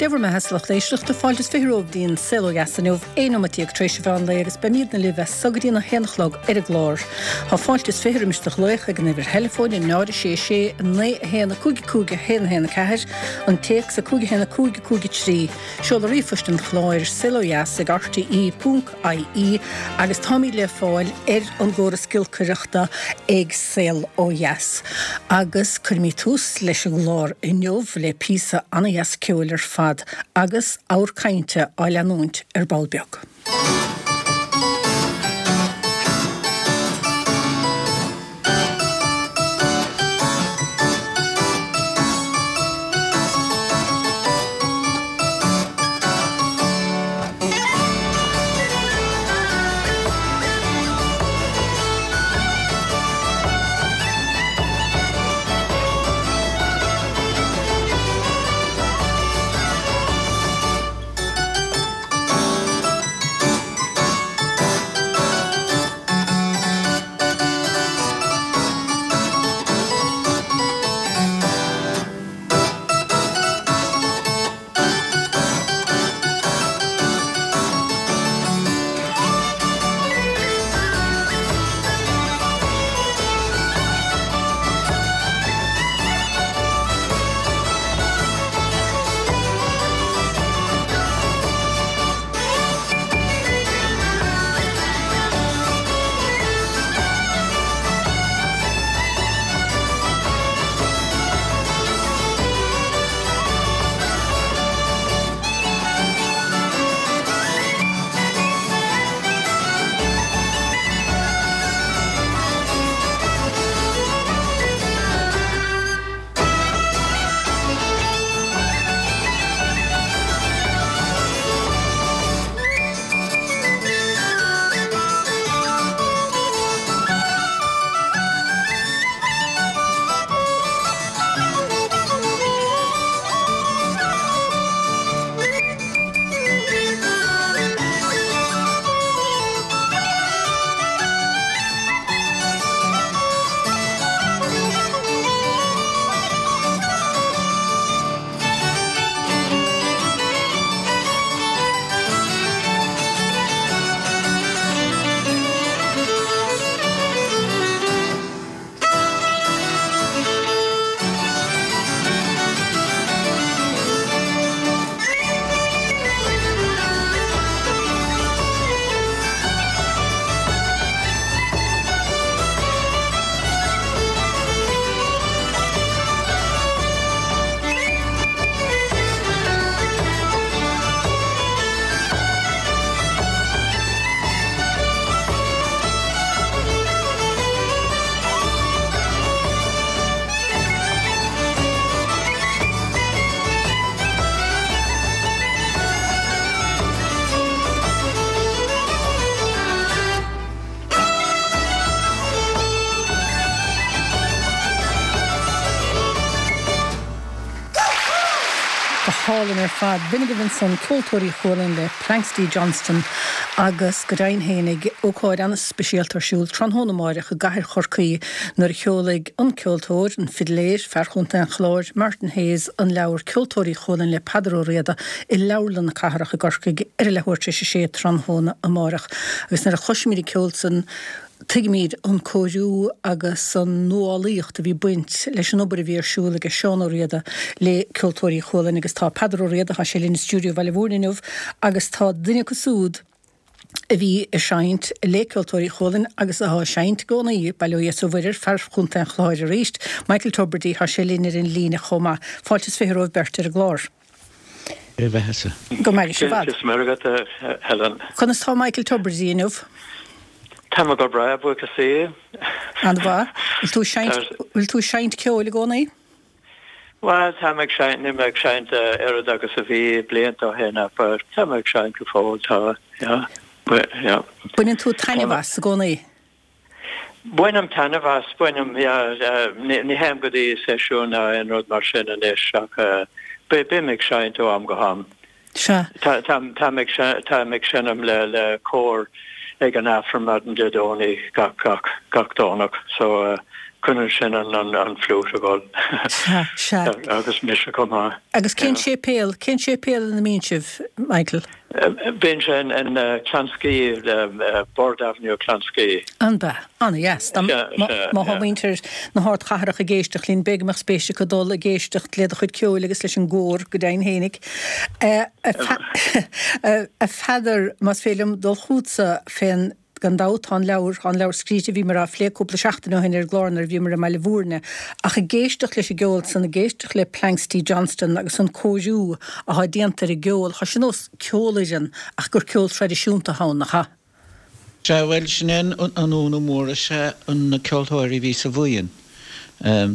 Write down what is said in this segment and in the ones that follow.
Dé bhur mbeatha a lucht éisteachta, fáilte is 20 romhaibh dtí'n Saol Ó Dheas inniu, 11 nóimeat tar éis an mheán lae agus beimídne libh as so go dtí'n 1 a chlog ar an gclár. Tá fáilte is 20 roimis do ghlaoch ag an uimhir theileafóin, 0 6 6 9 1 5 5 1 1 4, an téacs 5 1 5 5 3, seoladh ríomhphoist an chláir, saolodheas ag rte ponc ie agus táimid le fáil ar an gcóras giolcaireachta ag Saol Ó Dheas. Agus cuirfimid tús leis an gclár inniu le píosa ana-dheas ceoil ar fad agus abhar cainte á leanúint ar ball beag. Go hálainn ar fad. B'in agaibh ansan Ceoltóirí Chualann le Planxty Johnston agus go deimhin fhéinig, ócáid an-speisialta ar siúl tráthnóna amáireach i gcathair Chorcaí nuair a sheolfaidh an ceoltóir, an fidléir, fear Chontae an Chláir, Martin Hayes an leabhar Ceoltóirí Chualann le Peadar Ó Riada i Leabharlann na Cathrach i gCorcaigh ar a leathuair tar éis a sé tráthnóna amáireach. Agus nuair a chloisimid an ceol san, tuigimid an cóiriú agus an nuálaíocht a bhí baint leis an obair a bhí ar siúl aige Seán Ó Riada le Ceoltóirí Chualann agus tá Peadar Ó Riada, tá sé linn i stiúideo Bhaile Mhúirne inniu agus tá duine acu siúd a bhí ag seinnt le Ceoltóirí Chualann agus atá ag seinnt i gcónaí, bail ó Dhia is ó Mhuire air, fear Chontae an Chláir arís, Michael Tubridy, tá sé linn ar an líne chomh maith. Fáilte is 20 romhaibh beirt ar an gclár. Ar a bheathasa. Go maire sibh i bhfad. Dia is Muire agat, a Helen. Conas tá Michael Tubridy inniu? Tá mé go breá, buíochas Dé. An-mhaith. Bhfuil tú ag seinnt, bhfuil tú ag seinnt ceoil i gcónaí? Bhuel, tá mé ag seinnt, níl mé ag seinnt oiread agus a bhí blianta ó shin ach tá mé ag seinnt go fóill, tá, yeah, yeah. Baineann tú taitneamh as i gcónaí? Bainim taitneamh as, bainim, yeah, ní théim go dtí seisiún ná aon rud mar sin anois ach bím ag seinnt ó am go ham. Sea. Táim ag seinm le cór. ag an Aifreann maidin Dé Domhnaigh gach gach gach Domhnach so coinníonn sin an an an fliúit ag dul. Sea, sea. Agus mise chomh maith. Agus cén séipéal, cén séipéal ina mbíonn sibh, Michael? Bíonn sé in in Clonskeagh, Bord Avenue, Clonskeagh. An b'ea? Ana-dheas. Dá má má thá muintir na hardchathrach ag éisteacht linn, b'fhéidir go mbeadh spéis acu dul ag éisteacht le do chuid ceoil agus leis an gcór, go deimhin fhéinig. A Pheadair, más féidir liom dul chugatsa fén, gan dabht tá an leabhar, tá an leabhar scríte, bhíomar á phlé cúpla seachtain ó shin ar an gclár nuair a bhíomar i mBaile Bhúirne, ach ag éisteacht leis an gceol san, ag éisteacht le Planxty Johnston agus an cóiriú athá déanta ar an gceol, thá sé nós ceolfhoireann ach gur ceol traidisiúnta athá ann, nach ea? Sea, bhuel, sin é an ionadh mór is ea na ceoltóirí a bhí sa bhuíon.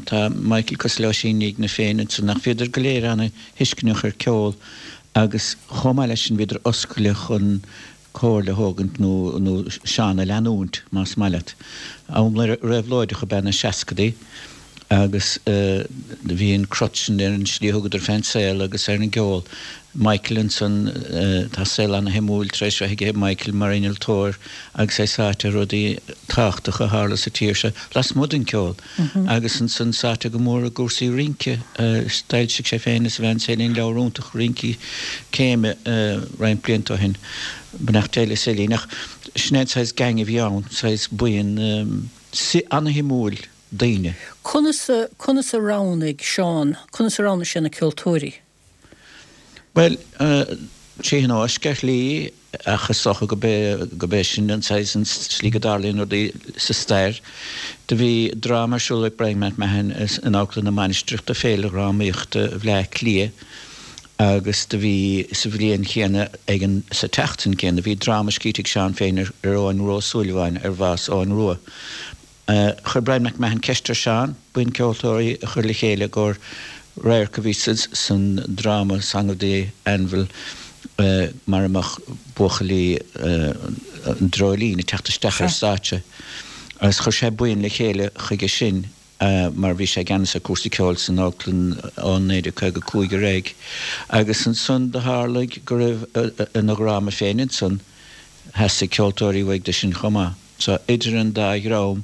Tá Michael cosúil le Oisín Ní Fhloinn féin ansan ach bhíodar go léir ana-thuisceanach ar ceol agus chomh maith leis sin bhíodar oscailte chun comhairle a thógaint nó nó Seán a leanúint, más maith leat. Am réabhlóideach ab ea na seascadaí agus bhí an crot sin ar an slí a thugadar fén saol agus ar an gceol. Michael ansan, tá saol ana-shuimiúil tar éis bheith aige Michael mar innealtóir agus é sáite i rudaí tábhachtacha a tharla sa tír seo lasmuigh den ceol agus ansan sáite go mór i gcúrsaí rince. D'fhoilsigh sé féin is a bhean Céline leabhar iontach rince céime roinnt blianta ó shin, beannacht Dé le Céline. Ach sin é an saghas gang a bhí ann, saghas buíon ana-shuimiúil daoine. Conas a, conas a roghnaigh Seán, conas a roghnaigh sé na ceoltóirí? Bhuel, trí thionóisc ar shlí, ach is dócha go b'é, go b'é sin an saghas, an slí go dtarlaíonn rudaí sa stair. Do bhí dráma ar siúl ag Brian McMahon in Amharclann na Mainistreach do Féile Dhrámaíochta Bhleá Cliath agus do bhí sa bhliain chéanna ag an, sa tseachtain chéanna, bhí dráma scríte ag Seán féin ar Eoghan Rua Ó Súilleabháin, ar bhás Eoghan Rua. Chuir Brian McMahon ceist ar Seán buíon ceoltóirí a chur le chéile i gcomhair radharc a bhí san dráma Song of the Anvil mar a mbeadh buachaillí an Dreoilín ag teacht isteach ar stáitse agus chuir sé buíon le chéile chuige sin mar bhí sé i gceannas ar cúrsaí ceoil san amharclann ó 1955 ar aghaidh agus ansan do tharlaigh go raibh ina dhráma féin ansan theastaigh ceoltóirí uaidh do sin chomh maith. So, idir an dá dhream,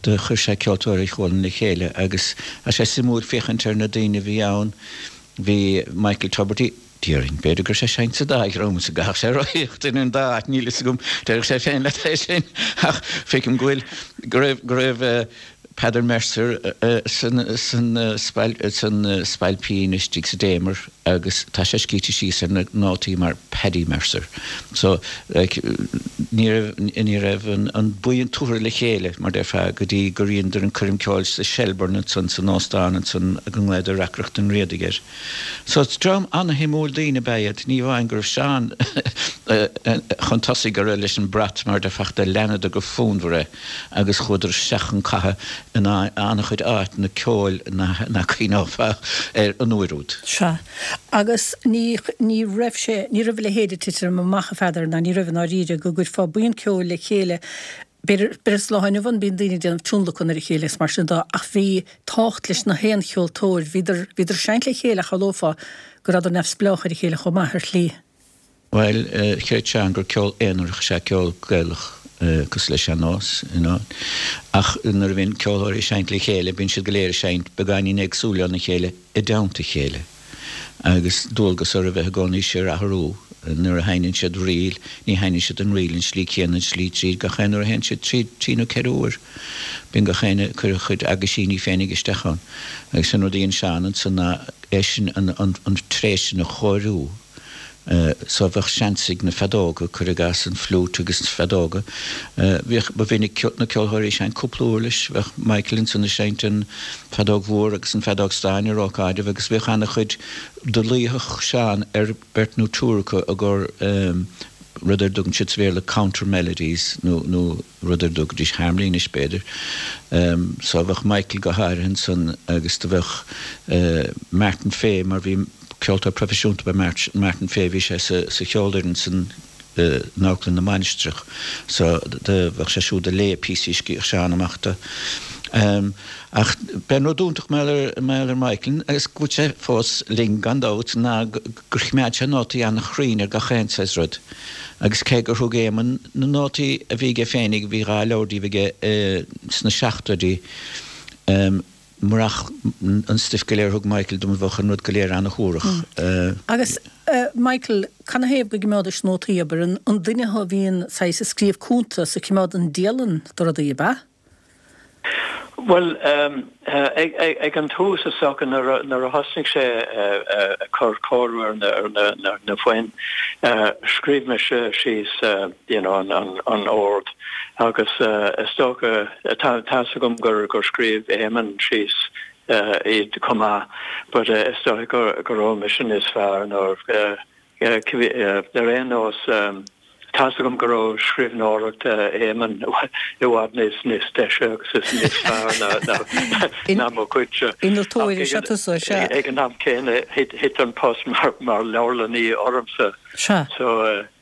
do chuir sé Ceoltóirí Chualann le chéile agus tá sé suimiúil féachaint ar na daoine a bhí ann. Bhí Michael Tubridy, déarfainn, b'fhéidir go raibh sé ag seinnt sa dá dhream is go gcaithfeadh sé rothaíocht idir an dá áit, níl fhios agam, déarfadh sé féin leat é sin ach feicim go bhfuil, go raibh, go raibh Peadar Mercer san, san, san Spailpín istigh sa Damer. agus tá sé scríte síos ar na nótaí mar Paddy Mercer. So, like, ní raibh, ní raibh an, an buíon tabhartha le chéile, mar déarfá, go dtí gur dheineadar an coirm ceoil sa Shelbourne ansan, san óstán ansan go nglaodar Reacaireacht an Riadaigh air. So, dream ana-shuimiúil daoine ab ea iad, ní amháin go raibh Seán chun tosaigh go raibh leis an brat, mar déarfá, ach do leanadar go fonnmhar é. agus chuadar isteach chun catha in an-chuid áiteanna ceoil nach gcuimhneofá air an uair úd. Sea. Agus ní, ní raibh sé, ní raibh a leithéid ag titim amach, a Pheadair, ná ní raibh i ndáiríre, go gcuirfeá buíon ceoil le chéile, b'fhéidir, b'fhéidir sa lá inniu ann bíonn daoine ag déanamh tionlacan ar a chéile agus mar sin de, ach bhí tábhacht leis na haon cheoltóir, bhíodar, bhíodar ag seinnt le chéile ach shamhlófá go rabhadar neamhspleách ar a chéile chomh maith, ar shlí. Bhuel, chreid Seán gur ceol aonarach is ea ceol Gaelach, cosúil le sean-nós, you know. Ach nuair a bhíonn ceoltóirí ag seinnt le chéile, bíonn siad go léir ag seinnt beagáinín éagsúil óna chéile i dteannta a chéile. Agus dualgas orthu bheith i gcónaí síor-athrú. Nuair a sheinneann siad ríl, ní sheinneann siad an ríl an slí chéanna an slí tríd gach aon uair a théann siad tríd, trí nó ceithre huair. Bíonn gach éinne ag cur a chuid aguisíní féinig isteach ann. Agus an rud a dhein Seán ansan ná é sin, an tréith sin a chóiriú. So bheadh seans ag na feadóga, cuir i gcás an fliúit agus na feadóga. Bhíodh, ba mhinic na ceoltóirí ag seinnt cúpla uirlis, bheadh Michael ansan ag seinnt an feadóg mhór agus an feadóg stáin ar ócáidibh agus bhíodh ana-chuid, do luífeadh Seán ar beirt nó triúr acu i gcomhair rud ar dtugann siad sa Bhéarla counter melodies nó, nó rud ar dtugaidís harmony anois b'fhéidir. So bheadh Michael go háirithe ansan agus do bheadh Martin Fay mar bhí, Ceoltóir proifisiúnta ab ea Martin Fay, bhí sé sa cheolfhoireann san in Amharclann na Mainistreach so do bheadh sé siúd ag léamh píosaí a scríobhadh Seán amach dó. Ach b'é an rud iontach mar gheall ar Michael, agus go bhfuil sé fós linn gan dabht, ná gur choimeád sé nótaí an-chruinn ar gach aon saghas rud. Agus cé gur thug Éamonn na nótaí a bhí aige féinig, bhí dha leabhar díobh aige sna seachtóidí, murach an stuif go léir a thug Michael dom bheadh an rud go léir an-shuarach. Agus Michael, canathaobh go gcimeádais nótaí, abair, an duine thú a bhíonn saghas ag scríobh cuntas, ag cimeád an dialann de rudaí, ab ea? Bhuel, ag an tús is dócha nuair a thosnaigh sé ag cur cóiriú ar na foinn, scríobh mise síos you know an ord agus is dócha, tá fhios agam gur scríobh Éamonn síos iad chomh maith but is dócha go raibh mise níos fearr nó Ar aon nós, tá's agam go raibh scríbhneoireacht Éamoinn i bhfad níos deise agus is níos fearr ná mo chuidse. Innealtóir is ea tusa, sea. Ag an am céanna, thit an post mar leabharlannaí ormsa. Sea.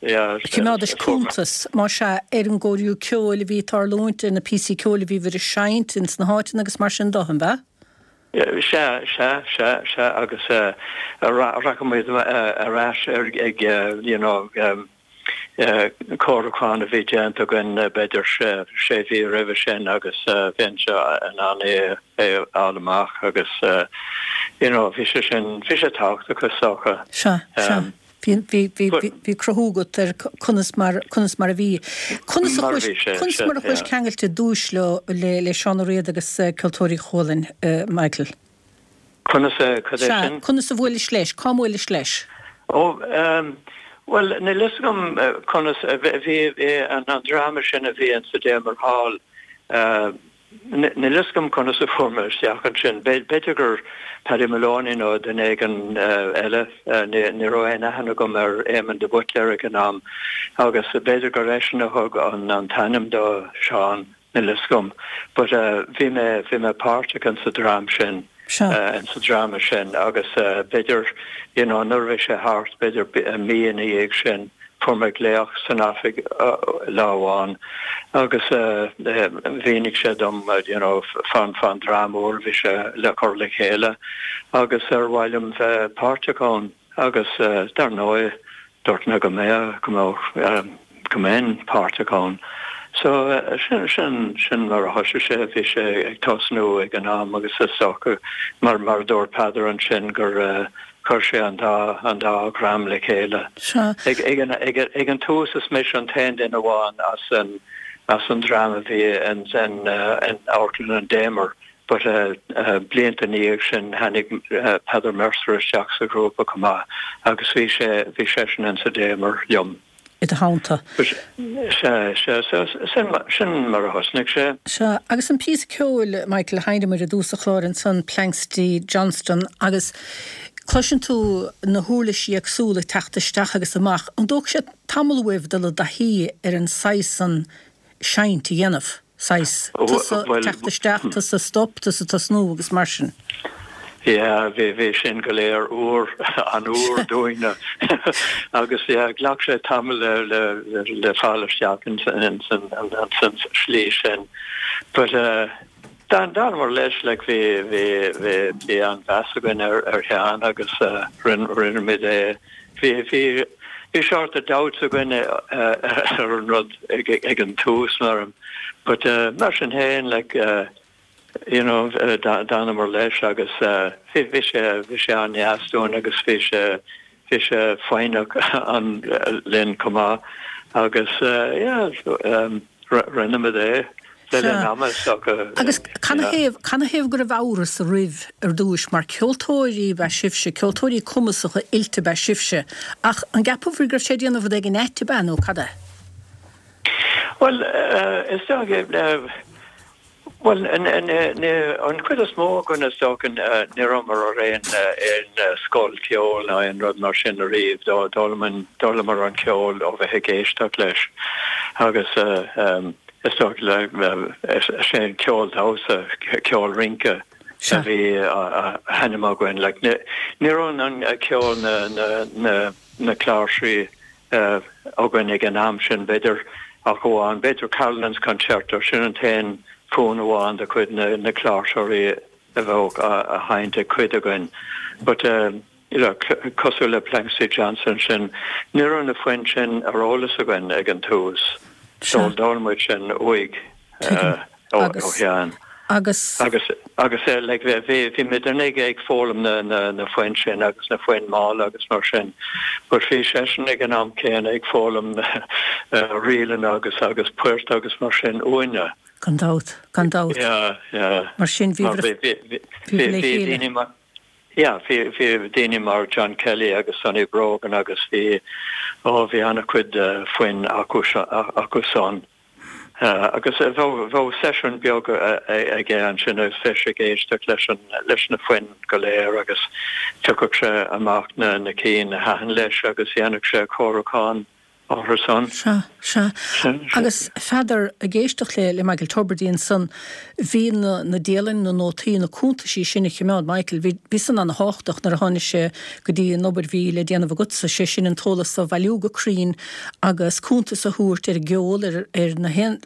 Choimeádais cuntas, más ea, ar an gcóiriú ceoil a bhí ag tarlúint, ar na píosaí ceoil a bhíobhair ag seinnt ins na háiteanna agus mar sin de, an b'ea? Sea, sea, sea, sea, agus rachadh muid ar ais ar ag you know cóiriúchán a bhí déanta againn b'fhéidir sé mhí roimhe sin agus bheinnse in ann é a fháil amach agus you know bhí sé sin, bhí sé tábhachtach is dócha. Sea, sea. Bhí, bhí, bhí, bhí, bhí cruthú agat ar conas mar, conas mar a bhí. Conas a chuais, conas mar a chuais ceangailte ar dtúis leo, le, le Seán Ó Riada agus Ceoltóirí Chualann, Michael? Conas a, cad é Sea, sin? conas a bhuailis leis, cá mbuailis leis? Ó, bhuel, níl fhios agam conas, bhí, bhí an dráma sin a bhí in sa Damer Hall, Níl fhios agam conas a fuair mé isteach ansin. B'fhéidir gur Paddy Moloney nó duine éigin eile, ní raibh aon aithne agam ar Éamon de Buitléar ag an am, agus b'fhéidir gur eisean a thug an t-ainm do Sheán, níl fhios agam. But bhí mé, bhí mé páirteach in sa dream sin, in sa dráma sin agus b'fhéidir, you know, nuair a bhí sé thart, b'fhéidir mí ina dhiaidh sin, Fuair mé glaoch san oifig lá amháin agus mhínigh sé dom you know fán fán dráma úr a bhí sé le cur le chéile agus ar mhaith liom bheith páirteach ann agus dar ndóigh dúirt mé go mbeadh go mbeadh go mbeinn páirteach ann. So sin sin sin mar a thosaigh sé, bhí sé ag tosnú ag an am agus is dócha mar mar a dúirt Peadar ansin gur Chuir sé an dá, an dá dhream le chéile. Sea. Ag, ag an, ag, ag an tús is mise an t-aon duine amháin as an, as an dream a bhí in, in, in Amharclann an Damer but blianta ina dhiaidh sin tháinig Peadar Mercer isteach sa ghrúpa chomh maith agus bhí sé, bhí seisean in sa Damer liom. i do theannta. Sea, sea, sin, sin mar a thosnaigh sé. Sea, agus an píosa ceoil, Michael, a sheinneamar i dtús an chláir ansan, Planxty Johnston, agus cloiseann tú na huirlisí éagsúla ag teacht isteach agus amach. An dtógfaidh sé tamall uaibh dul i dtaithí ar an saghas san seinnt a dhéanamh? saghas, tusa teacht isteach, tusa stop, tusa tosnú agus mar sin. Yeah, bhí, bhí sin go léir úr, an-úr dúinne agus yeah, ghlac sé tamall le, le, le fáil isteach in, in, in, in, san slí sin. But uh, d'fhan, d'fhanamar leis, like, bhí, bhí, bhí, bhí an-mheas againn ar, ar Sheán agus uh, rinne, rinne muid é Bhí, bhí, bhí sort of doubts againn ar an rud ag, ag an tús mar, but mar sin féin, like, you know, d'fhanamar leis agus bhí, bhí sé, bhí sé an-deas dúinn agus bhí sé, bhí sé foighneach an, linn chomh maith agus yeah, rinne muid é le linn ama is dócha. Agus canathaobh, canathaobh go raibh amhras oraibh ar dtúis, mar ceoltóirí ab ea sibhse, ceoltóirí cumasacha oilte ab ea sibhse, ach an gceapabhair go raibh sé ag déanamh rud éigin ait ab ea nó cad é? Bhuel, is dócha, Bhuel, an chuid is mó againn is dócha ní rabhamar ar aon aon scoil ceoil ná aon rud mar sin ariamh. D'fhoghlaimeamar an ceol ó bheith ag éisteacht leis agus is dócha is é an ceol damhsa, ceol rince a bhí á sheinm againn. Like ní raibh an ceol na na cláirsí againn ag an am sin, b'fhéidir, ach amháin, b'fhéidir Carolan's Concerto, sin an t-aon. fonn amháin de chuid na cláirseoirí a bheadh á sheinnt ag cuid againn but you know cosúil le Planxty Johnson sin, ní raibh na foinn sin ar eolas againn ag an tús so d'fhoghlaim muid sin uaidh ó Sheán. Agus. Agus agus like bhí bhí muidne ag ag foghlaim na na na foinn sin agus na foinn mhalla agus mar sin but bhí seisean ag an am céanna ag foghlaim ríleanna agus agus poirt agus mar sin uainne. Gan dabht, gan dabht. Yeah, yeah. Mar sin bhí bhí bhí bhí daoine mar yeah bhí bhí daoine mar John Kelly agus Sonny Brogan agus bhí ó bhí an-chuid foinn acu acu san. Agus bheadh seisiún beag aige ansin agus bheadh sé ag éisteacht leis an, leis na foinn go léir agus phiocfadh sé amach na na cinn a thaitin leis agus dhéanfadh sé cóiriúchán orthu san. Sea, sea. Agus Pheadair, ag éisteacht le le Michael Tubridy ansan, bhí na na dialanna, na nótaí, na cuntaisí sin a choimeád Michael, bhí bhí san ana-thábhachtach nuair a tháinig sé go dtí an obair bhí le déanamh agatsa, sé sin an t-eolas a bhailiú go cruinn agus cuntas a thabhairt ar an gceol, ar na haon,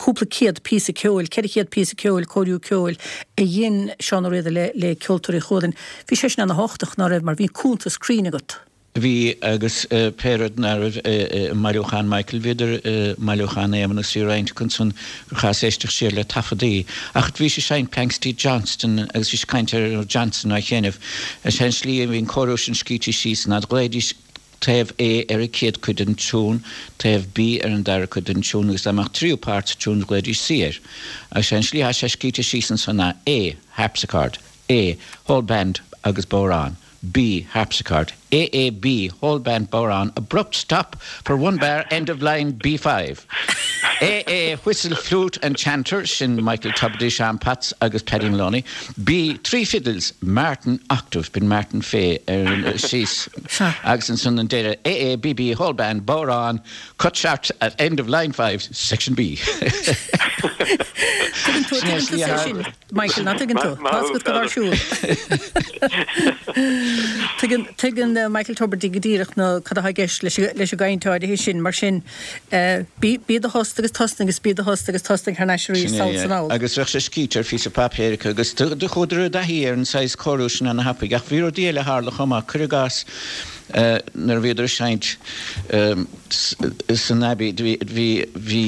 cúpla céad píosa ceoil, 400 píosa ceoil, cóiriú ceoil a dhein Seán Ó Riada le le Ceoltóirí Chualann. Bhí sé sin ana-thábhachtach, ná raibh, mar bhí cuntas cruinn agat. Bhí, agus pé rud ná raibh i mbailiúchán Michael, bhíodar i mbailiúchán Éamonn agus bhí roinnt acu ansan gur chaitheas éisteacht siar le taifeadaí. Ach bhís ag seinnt Planxty Johnston agus bhís ag caint ar Johnson á sheinm. Is é an slí a bhí an cóiriú sin scríte síos ná do ghlaoidís taobh A ar an chéad chuid den tiún, taobh B ar an dara cuid den tiún agus dá mbeadh tríú páirt sa tiún ghlaoidís C air. Agus sé an slí atá sé scríte síos ansan ná A, harpsichord, A, whole band agus bodhrán, B, harpsichord, A A B, whole band bodhrán, abrupt stop for one bar, end of line B5. A A, whistle, flute and chanter, sin Michael Tubridy, Seán Potts agus Paddy Moloney. B, 3 fiddles, Martin octave, b'in Martin Fay ar síos agus ansan an deireadh, A A B B, whole band, bodhrán, cut short at end of line 5, section B. Tuigeann tú, tuigeann tú é sin, Michael, ná tuigeann tú? Tá fhios agat cad ar siúl. Tuigeann, tuigeann Michael Tubridy go díreach na, cad atá i gceist leis, leis an gcaint áirithe sin, mar sin, Bí i do thost agus tosnaigh agus bí i do thost agus tosnaigh thar n-ais arís sall 's anall. Agus bheadh sé scríte ar phíosa páipéir acu agus do chuadar i dtaithí ar an saghas cóiriú sin ana thapaidh. Ach bhí rudaí eile a tharla chomh maith. Cuir i gcás nuair a bhíodar ag seinnt san Abbey bhí bhí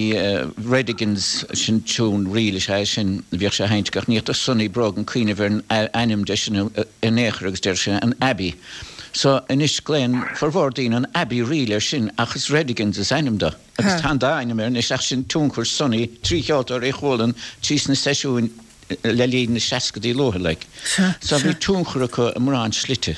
Redigans, sin tiún ríl is ea é sin, bhíodh sé á sheinnt acu ach ní fhéadfadh Sonny Brogan cuimhneamh ar an ainm de sin in aon chor agus deireadh sé an Abbey. So, anois glaonn formhór daoine an Abbey Reel air sin ach is Redigans is ainm do. Agus tá an dá ainm air anois ach sin tionchar Sonny, trí Cheoltóirí Chualann, trí sna seisiúin le linn na seascadaí luatha like. So bhí tionchar acu i mórán slite.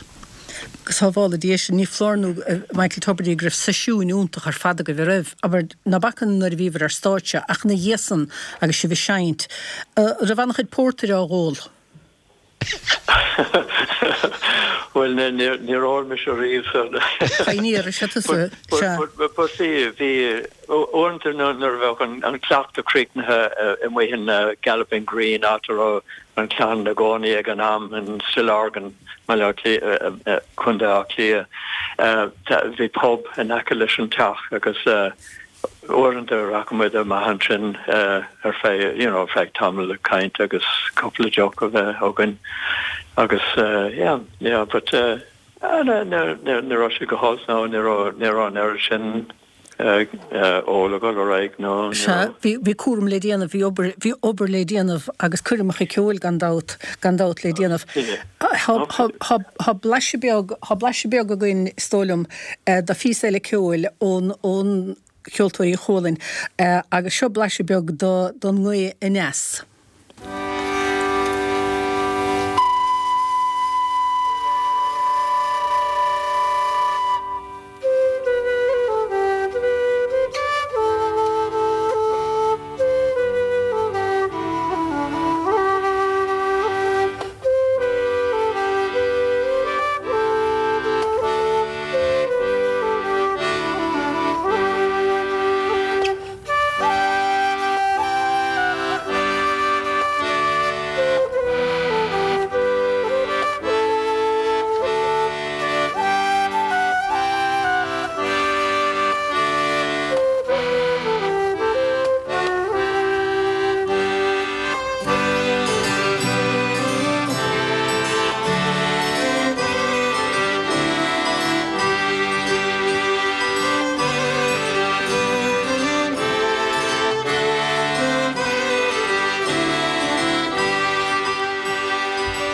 Go sábhála Dia sinn, ní foláir nó Michael Tubridy go raibh seisiúin iontach ar fad agaibh, an raibh? Abair, ná bacainn nuair a bhíobhair ar stáitse ach ina dhiaidh san agus sibh ag seinnt, an raibh an-chuid pórtair á dh'ól? Bhuel, níor ól mise riamh so. Pioneer is ea tusa, sea. But bhí, bhí, uaireanta nuair a bheadh an cleachtadh críochnaithe amuigh in Galloping Green, áit a raibh an chlann ina gcónaí ag an am, in Stillorgan, Baile Átha Cliath, Contae Átha Cliath, bhí pub in aice leis an teach agus Uaireanta rachadh muid amach ansin ar feadh, you know, ar feadh tamall ag caint agus cúpla deoch a bheith againn agus yeah, yeah, but ní raibh sé go holc nó ní raibh, ní raibh an oiread sin ól ag dul ar aghaidh nó ní Sea, raibh. bhí, bhí cúram le déanamh, bhí obair, bhí obair le déanamh agus coirmeacha ceoil gan dabht, gan dabht le déanamh. Tá, tá, tá blaiseadh beag, tá blaiseadh beag againn is dóigh liom, de phíosa eile ceoil ón, ón Cheoltóirí Chualann agus seo blaiseadh beag de, don nGaoth Aneas.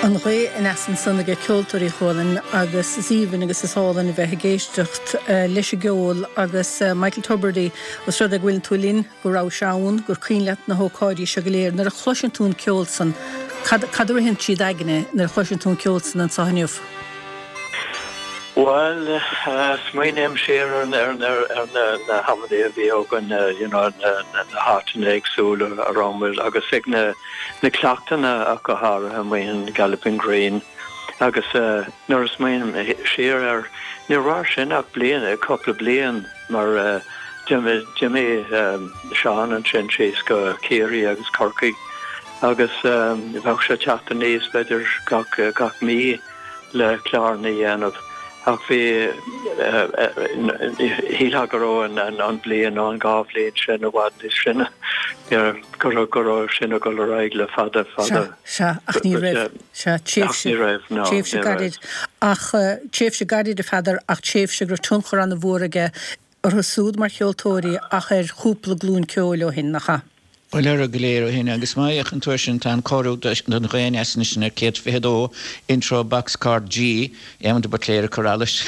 An ghaoth aneas ansan aige Ceoltóirí Chualann agus is aoibhinn agus is álainn a bheith ag éisteacht leis an gceol agus Michael Tubridy, os rud é go bhfuileann tú linn, go rabhais ann, gur cuimhin leat na hócáidí seo go léir, nuair a chloiseann tú an ceol san, cad, cad a ritheann trí d'aigne nuair a chloiseann tú an ceol san anso inniu? Bhuel, smaoiním siar ar na hamanna a bhí againn, you know, na háiteanna éagsúla a raibh muid agus ag na cleachtanna ach go háirithe amuigh in Galloping Green agus nuair a smaoiním siar air, níor mhair sin ach bliain, cúpla bliain mar d'imigh Seán ansin síos go Ciarraí agus Corcaigh agus bheadh sé ag teacht aníos b'fhéidir gach mí. le cláranna a dhéanamh ach bhí, shílfeá go raibh an bhliain nó an dá bhliain sin i bhfad níos sine, go raibh, go raibh sin ag dul ar aghaidh le fada, fada. Sea, sea, ach ní raibh, sea, tréimhse, Ach ní raibh, no, tréimhse ní raibh. gairid, ach tréimhse gairid a Pheadair ach tréimhse go raibh tionchar an-mhór aige orthu súd mar cheoltóirí ach ar chúpla glúin ceoil ó shin, nach ea? Bhuel, orthu go léir ó shin, agus má fhéachann tú air sin, tá an cóiriú don Ghaoth Aneas anois ar 122, Intro Box Chord G, Éamon de Buitléir ag cur allais,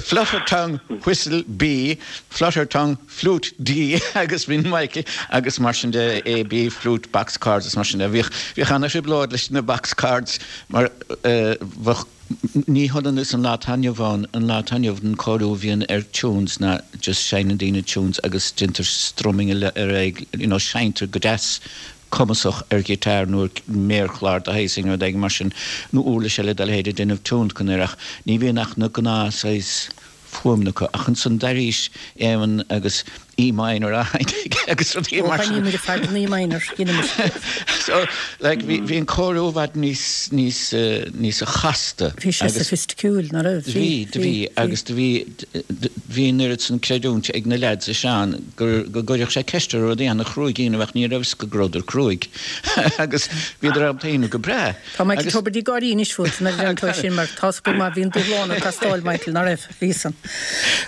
Flutter Tongue Whistle B, Flutter Tongue Flute D, agus bíonn Michael agus mar sin de, A, B, Flute, Box Chords is mar sin de. Bhíodh, bhíodh ana-thrioblóid leis na box chords mar bheadh, Ní hionann is an lá atá inniu ann, an lá atá inniu an cóiriú a bhíonn ar tunes ná just seinneann daoine tunes agus déantar strumming ar aghaidh, you know seinntear go deas cumasach ar ghiotár nó ar mhéarchlár de shaghas éigin, rud éigin mar sin, nó uirlis eile dá leithéid ag déanamh tionlacan air ach ní bhíonn ach na gnáth saghas fuaimeanna acu. Ach ansan d'airís Éamonn agus E minor á sheinnt aige agus rudaí Ó, mar sin. sheinnímid ar fad in E minor, dheinimid. So, like, bhí, bhí an cóiriú i bhfad níos, níos, níos chasta. Bhí sé agus soifisticiúil, ná raibh? Bhí, do bhí, agus do bhí, bhí an oiread san creidiúint ag na leaids is Seán gur, go gcuirfeadh sé ceist orthu rudaí ana-chruaidh a dhéanamh ach ní raibh fhios acu go rabhadar cruaidh agus bhíodar ábalta a dhéanamh go breá. Tá Michael Tubridy ag gáirí anois fút nuair a deireann tú é sin mar tá's go maith bhí an dúshlán ag teastáil Michael, ná raibh? Bhí san.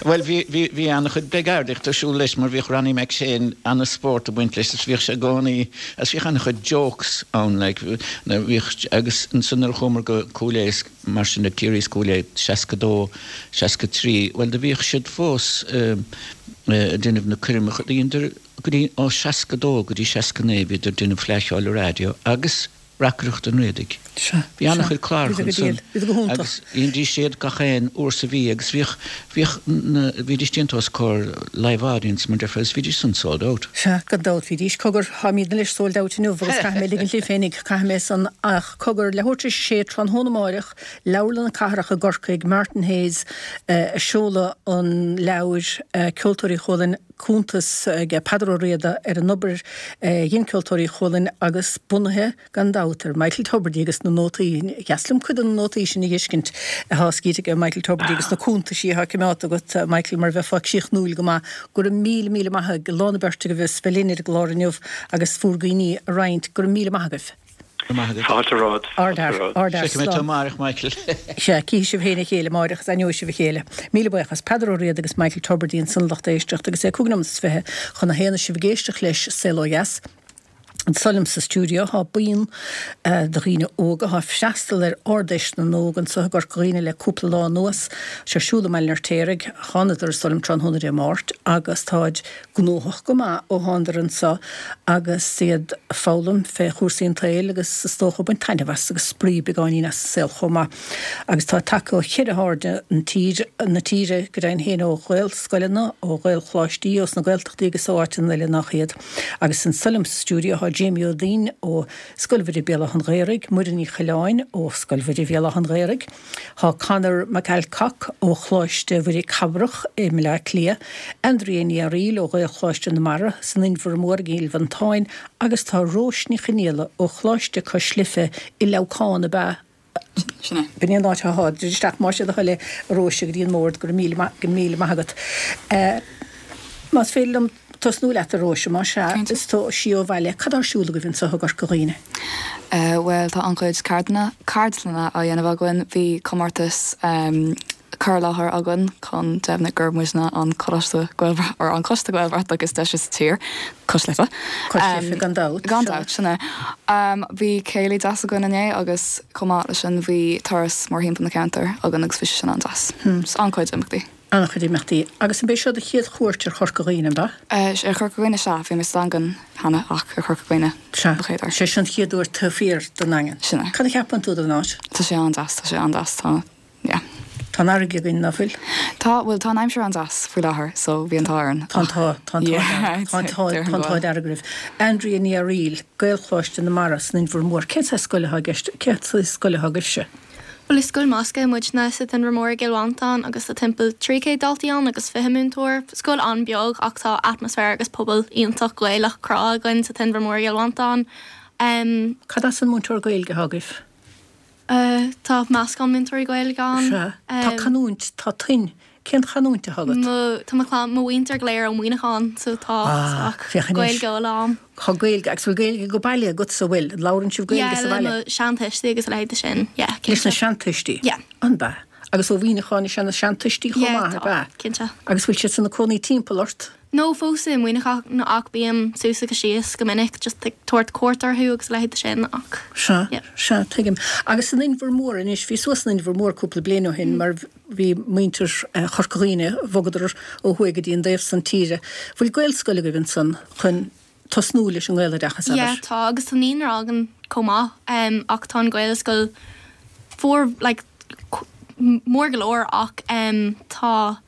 Bhuel bhí, bhí, bhí an-chuid bligeardaíocht ar siúl leis mar bhíodh Ronnie McShane an-spórt ag baint leis is bhíodh sé i gcónaí, agus bhíodh an-chuid jokes ann like, nuair bhíodh, agus ansan nuair a chuamar go Cúil Aodha is mar sin de, Ciarraí is Cúil Aodha, 62, 63, bhuel do bhíodh siad fós ag déanamh na coirmeacha, dheineadar go dtí, ó 62 go dtí 69 bhíodar ag déanamh Fleadh Cheoil an Raidió agus Reacaireacht an Riadaigh. Sea, Bhí sea. an-chuid cláracha Bhíodar go ansan diail. Bhíodar go hiontach. agus dheindís iad gach aon uair sa mhí agus bhíodh, bhíodh na, bhídís déanta os comhair live audience mar deirfeá agus bhídís san sold out. Sea, gan dabht bhídís. Cogar, táimidne anois sold out inniu agus caithfidh mé ligint libh féinig, caithfidh mé san ach cogar, leathuair tar éis a sé tráthnóna amáireach, Leabharlann na Cathrach i gCorcaigh, Martin Hayes ag seoladh an leabhair, Ceoltóirí Chualann, cuntas ag Peadar Ó Riada ar an obair a dhein Ceoltóirí Chualann agus bunaithe, gan dabht, ar Michael Tubridy agus na nótaí. Dheas liom cuid de na nótaí sin a dh'fheiscint atá scríte ag Michael Tubridy agus na cuntaisí atá coimeádta agat, Michael, mar bheifeá críochnúil go maith. Go raibh míle, míle maith ag lán na beirte agaibh as bheith linn ar an gclár inniu agus bhur gcuimhní a roinnt. Go raibh míle maith agaibh. Maith agat. Fáilte romhat. Ardfhear, ardfhear. Feicfidh mé tú amáireach, Michael. Sea, cífidh sibh féin a chéile amáireach is aithneoidh sibh a chéile. Míle buíochas. Peadar Ó Riada agus Michael Tubridy ansan lucht éisteachta agus é 5 nóiméad is 20 chun a haon is sibh ag éisteacht leis Saol Ó Dheas. Anso liom sa stiúideo tá buíon de dhaoine óga atá ag freastal ar Ard-Fheis na nÓg anso i gCorca Dhuibhne le cúpla lá anuas. Tá sé ar siúl i mBaile an Fheirtéaraigh. Thánadar anso liom tráthnóna Dé Máirt agus táid gnóthach go maith ó thánadar anso agus iad ag foghlaim fé chúrsaí an tsaoil agus is dócha ag baint taitneamh as agus spraoi beagáinín as an saol chomh maith. Agus tá tagtha ó cheithre hairde an tír, na tíre go deimhin féin ó Ghaelscoileanna, ó Ghaelcholáistí, ós na Gaeltachtaí agus ó áiteanna eile nach iad. Agus anso liom sa stiúideo tá Jamie Ó Duinn ó Scoil Mhuire Béal Átha an Ghaorthaidh, Muireann Ní Choileáin ó Scoil Mhuire Bhéal Átha an Ghaorthaidh, Tá Conor McAlcock ó Choláiste Mhuire Cabrach i mBaile Átha Cliath, Andrea Ní Fhearaíl ó Ghaelcholáiste na Mara san Inbhear Mór i gCill Mhantáin agus tá Róis Ní Chonaola ó Choláiste Cois Life i Leamhcán ab ea? Sin é. B'in é an áit atá. Druid isteach más é do thoil é, a Róis, go dtí an mbord. Go raibh míle maith, go raibh míle maith agat. Más féidir liom tosnú leat, a Róise, más ea, is tú sí ó bhaile, cad tá ar siúl agaibh anseo i gCorca Dhuibhne? Bhuel, tá an-chuid ceardlanna, ceardlanna á dhéanamh againn. Bhí comórtas. cur i láthair againn chun deimhniú gur muidne an coláiste Gaelbhratach, or an coiste Gaelbhratach is deise sa tír, Cois Life. Cois Life, gan dabht. Gan dabht, sin é. Bhí céilí deas againn inné agus chomh maith leis sin bhí turas mórthimpeall na ceantair againn agus bhí sé sin an-deas. So an-chuid imeachtaí. An-chuid imeachtaí. Agus an b'é seo do chéad chuairt ar Chorca Dhuibhne, an b'ea? Ar Chorca Dhuibhne, sea. Bhí mé sa Daingean cheana ach ar Chorca Dhuibhne Sea. mo chéad uair. Sé seo an chéad uair taobh thiar den nDaingean. Sin é. Cad a cheapann tú den áit? Tá sé an-deas, tá sé an-deas. Tá, yeah. Tá an fharraige againn, ná fuil? Tá, bhuel, tá an aimsir an-deas faoi láthair so bhí an t-ádh orainn. Tá an t-ádh, tá an t-ádh dearg, tá an t-ádh, tá an t-ádh dearg oraibh. Andrea Ní Fhearaíl, Gaelcholáiste na Mara san Inbhear Mór. Cén saghas scoile atá i gceist, cén saghas scoile atá agaibhse? Bhuel is scoil measctha muidne sa Inbhear Mór i gCill Mhantáin agus tá timpeall 300 daltaí ann agus 20 múinteoir. Scoil an-beag ach tá atmaisféar agus pobal iontach Gaelach crá againn sa Inbhear Mór i gCill Mhantáin. Cad as an múinteoir Gaeilge atá agaibh? Tá meascán múinteoirí Gaeilge ann. Sea. Tá canúint, tá tuin. Cén chanúint atá agat? Mo, tá mo chlann, mo mhuintir go léir ó Mhuineachán so tá Ah, féach anois. Gaeilge uile a'm. Tá Gaeilge, agus bhfuil Gaeilge go baile agatsa, bhfuil? An labhrann sibh Gaeilge Yeah, sa le bhaile? mo seantuistí agus a leithéid de sin, yeah, Leis na cinnte. seantuistí? Yeah. An b'ea? Agus ó Mhuineachán is ea na seantuistí chomh Yeah, maith, ab tá, ea? cinnte. Agus bhfuil siad ina cónaí timpeall ort? No, fós i Muineachán ach bím suas agus síos go minic just ag tabhairt cuairt orthu agus a leithéid de sin ach Sea, yeah. sea, tuigim. Agus san Inbhear Mór anois, bhíos suas san Inbhear Mór cúpla bliain ó shin mar bhí muintir Chorca Dhuibhne, bhogadar ó thuaidh go dtí an dtaobh san tíre. Bhfuil Gaelscoil agaibh ansan chun tosnú leis an nGaeloideachas, Yeah, abair? tá agus tá naíonra againn chomh maith um ach tá an Ghaelscoil for like mór go leor ach um tá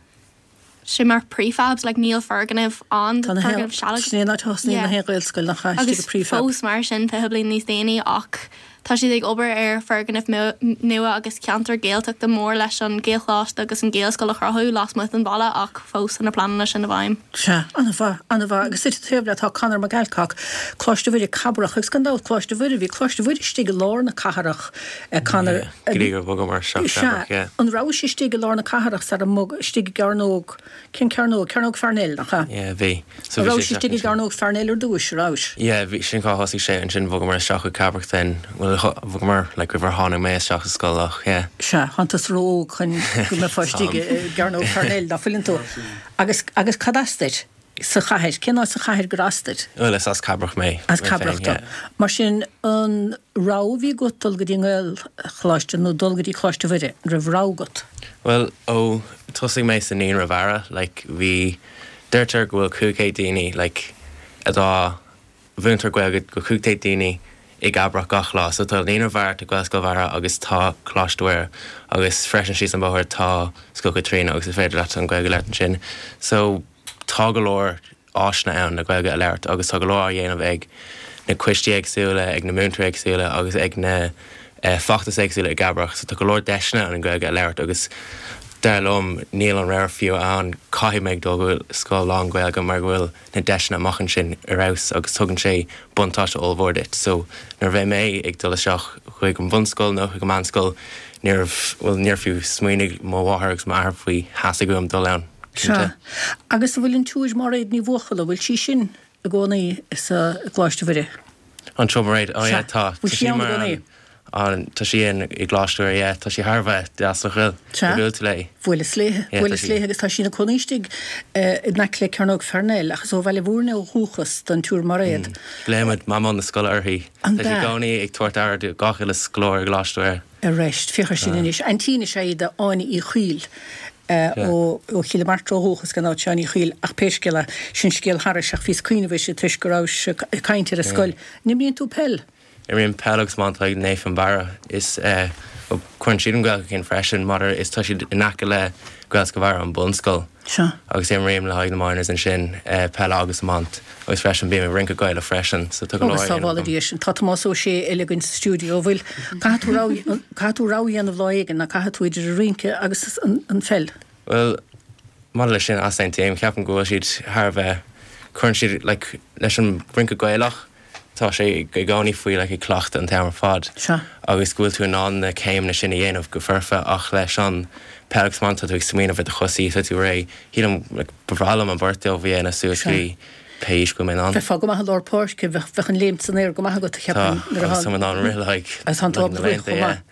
sé mar prefabs like níl foirgneamh ann, Tá na foirgneamh sealadach. Sin é an áit a thosnaíonn Yeah. na haon Ghaelscoil nach ea, istigh Agus i prefab. fós mar sin 20 bliain níos déanaí ach tá siad ag obair ar foirgneamh nua agus ceantar Gaeltachta mór leis an Ghaelcholáiste agus an Ghaelscoil a chruthú lasmuigh den bhaile ach fós tá na pleananna sin i bhfeidhm. Sea, an-mhaith, an-mhaith. Agus duit taobh leat tá Conor McAlcock, Coláiste Mhuire, Cabrach, agus gan dabht Coláiste Mhuire, bhí Coláiste Mhuire istigh i lár na cathrach, Conor. Yeah, go dtí gur bhogamar isteach Sea, Cabrach, yeah. an rabhais istigh i lár na cathrach sara mbog, istigh i gCearnóg, cén cearnóg? Cearnóg Pharnell, nach ea? Yeah, bhí. So bhí sé Rabhais istigh i gCearnóg Pharnell ar dtúis, rabhais? Yeah, bhí, sin cá thosaigh sé, ansin bhogamar isteach chuig Cabrach then, bhuel, bhogamar, like, roimh ar tháinig mé isteach sa scoil ach, yeah. Sea, tánn tusa ró-óg chun go mbeifeá istigh i gCearnóg Pharnell, ná fuileann tú? Agus, agus cad as duit? Sa chathair? Cén áit sa chathair gur as duit? Bhuel, is as Cabrach mé. As Cabrach tú. Mar sin, an rogha a bhí agat dul go dtí an nGaelcholáiste nó dul go dtí Coláiste Mhuire, an raibh rogha agat? Bhuel, ó thosaigh mé sa Naíonra Bharra, like, bhí, deirtear go bhfuil 500 daoine, like, atá, mhúintear Gaeilge go 500 daoine i gCabrach gach lá. So tá Naíonra Bharra, tá Gaelscoil Bharra agus tá Coláiste Mhuire agus freisin síos an bóthar tá Scoil Chaitríona agus is féidir leat an Ghaeilge a labhairt ansin. So tá go leor áiseanna ann le Gaeilge a labhairt agus tá go leor á dhéanamh ag na coistí éagsúla, ag na múinteoirí éagsúla agus ag na feachtais éagsúla i gCabrach. So tá go leor deiseanna ann an Ghaeilge a labhairt agus dar liom níl an rogha fiú ann, caithfidh mé dul go scoil lán-Ghaeilge mar go bhfuil na deiseanna amach ansin ar fheabhas agus tugann sé buntáiste ollmhór duit. So nuair a bheidh mé ag dul isteach chuig an bhunscoil nó chuig an meánscoil níorbh, bhuel níor fiú smaoinigh mo mháthair agus m'athair faoi theastaigh uaim dul ann, cinnte. Sea. Agus an bhfuil an tSiúr Máiréad Ní Bhuachalla, bhfuil sí sin i gcónaí sa gColáiste Mhuire? An tSiúr Mairéad, oh yeah, tá. Bhfuil sí ann i gcónaí? An, tá sí in i gColáiste Mhuire, yeah, tá sí thar a bheith deas nach bhfuil? Sea. Ar bhuail tú léi? Bhuaileas léi, Yeah, tá bhuaileas sí. léi agus tá sí ina cónaí istigh in aice le Cearnóg Pharnell ach is ó Bhaile Mhúirne ó dhúchas don tSiúr Mairéad. Glaoimid Mamó na scoile uirthi. An Tá sí i b'ea? gcónaí ag tabhairt aire do gach uile scoláire i gColáiste Mhuire. Arís, féach ar sin anois. Aintín is ea í d'Áine Uí Chuill ó ó Chill na Martra ó dhúchas gan dabht Seán Uí Chuill ach pé scéal é, sin scéal thairis ach bhíos ag cuimhneamh uirthi toisc go rabhais ag caint ar an scoil. An imríonn tú peil? Imrím peil agus iomáint ag Naomh Fionnbarra. Is bhuel cuireann siad an Ghaeilge chun cinn freisin maidir is tá siad in aice le Gaelscoil Bharra an bunscoil. Sea. Agus imrím le haghaidh na Minors ansin peil agus iomáint agus freisin bím ag rince Gaelach freisin so tá go leor Agus á dhéanamh sábhála agam. Dia sin. Tá Tomás Ó Sé eile againn sa stiúideo. Bhfuil, caithfidh tú rogha, caithfidh tú rogha a dhéanamh lá éigin, ná caithfidh tú idir an rince agus an, an pheil? Bhuel, maidir leis sin, easaontaím. Ceapaim go bhfuil siad thar a bheith, cuireann siad like leis an rince Gaelach, tá sé i gcónaí faoi like ag cleachtadh an t-am ar fad Sea. agus go bhfuil tú in ann na céimeanna sin a dhéanamh go foirfe ach leis an peil agus iomáint tá tú ag smaoineamh ar do chosaí, tá tú réidh, shílim like ba bhreá liom an bheirt dóibh a dhéanamh suas go Sea. dtí pé aois go bhfuil mé in ann. Bheifeá go maith i lár páirce, bheadh, bheadh an léimt san aer go maith agat, Tá, cheapfainn, nuair agus atá, tá mé in ann rith le haghaidh agus tá an le haghaidh t-ábhar na rith laethanta, chomh yeah. maith.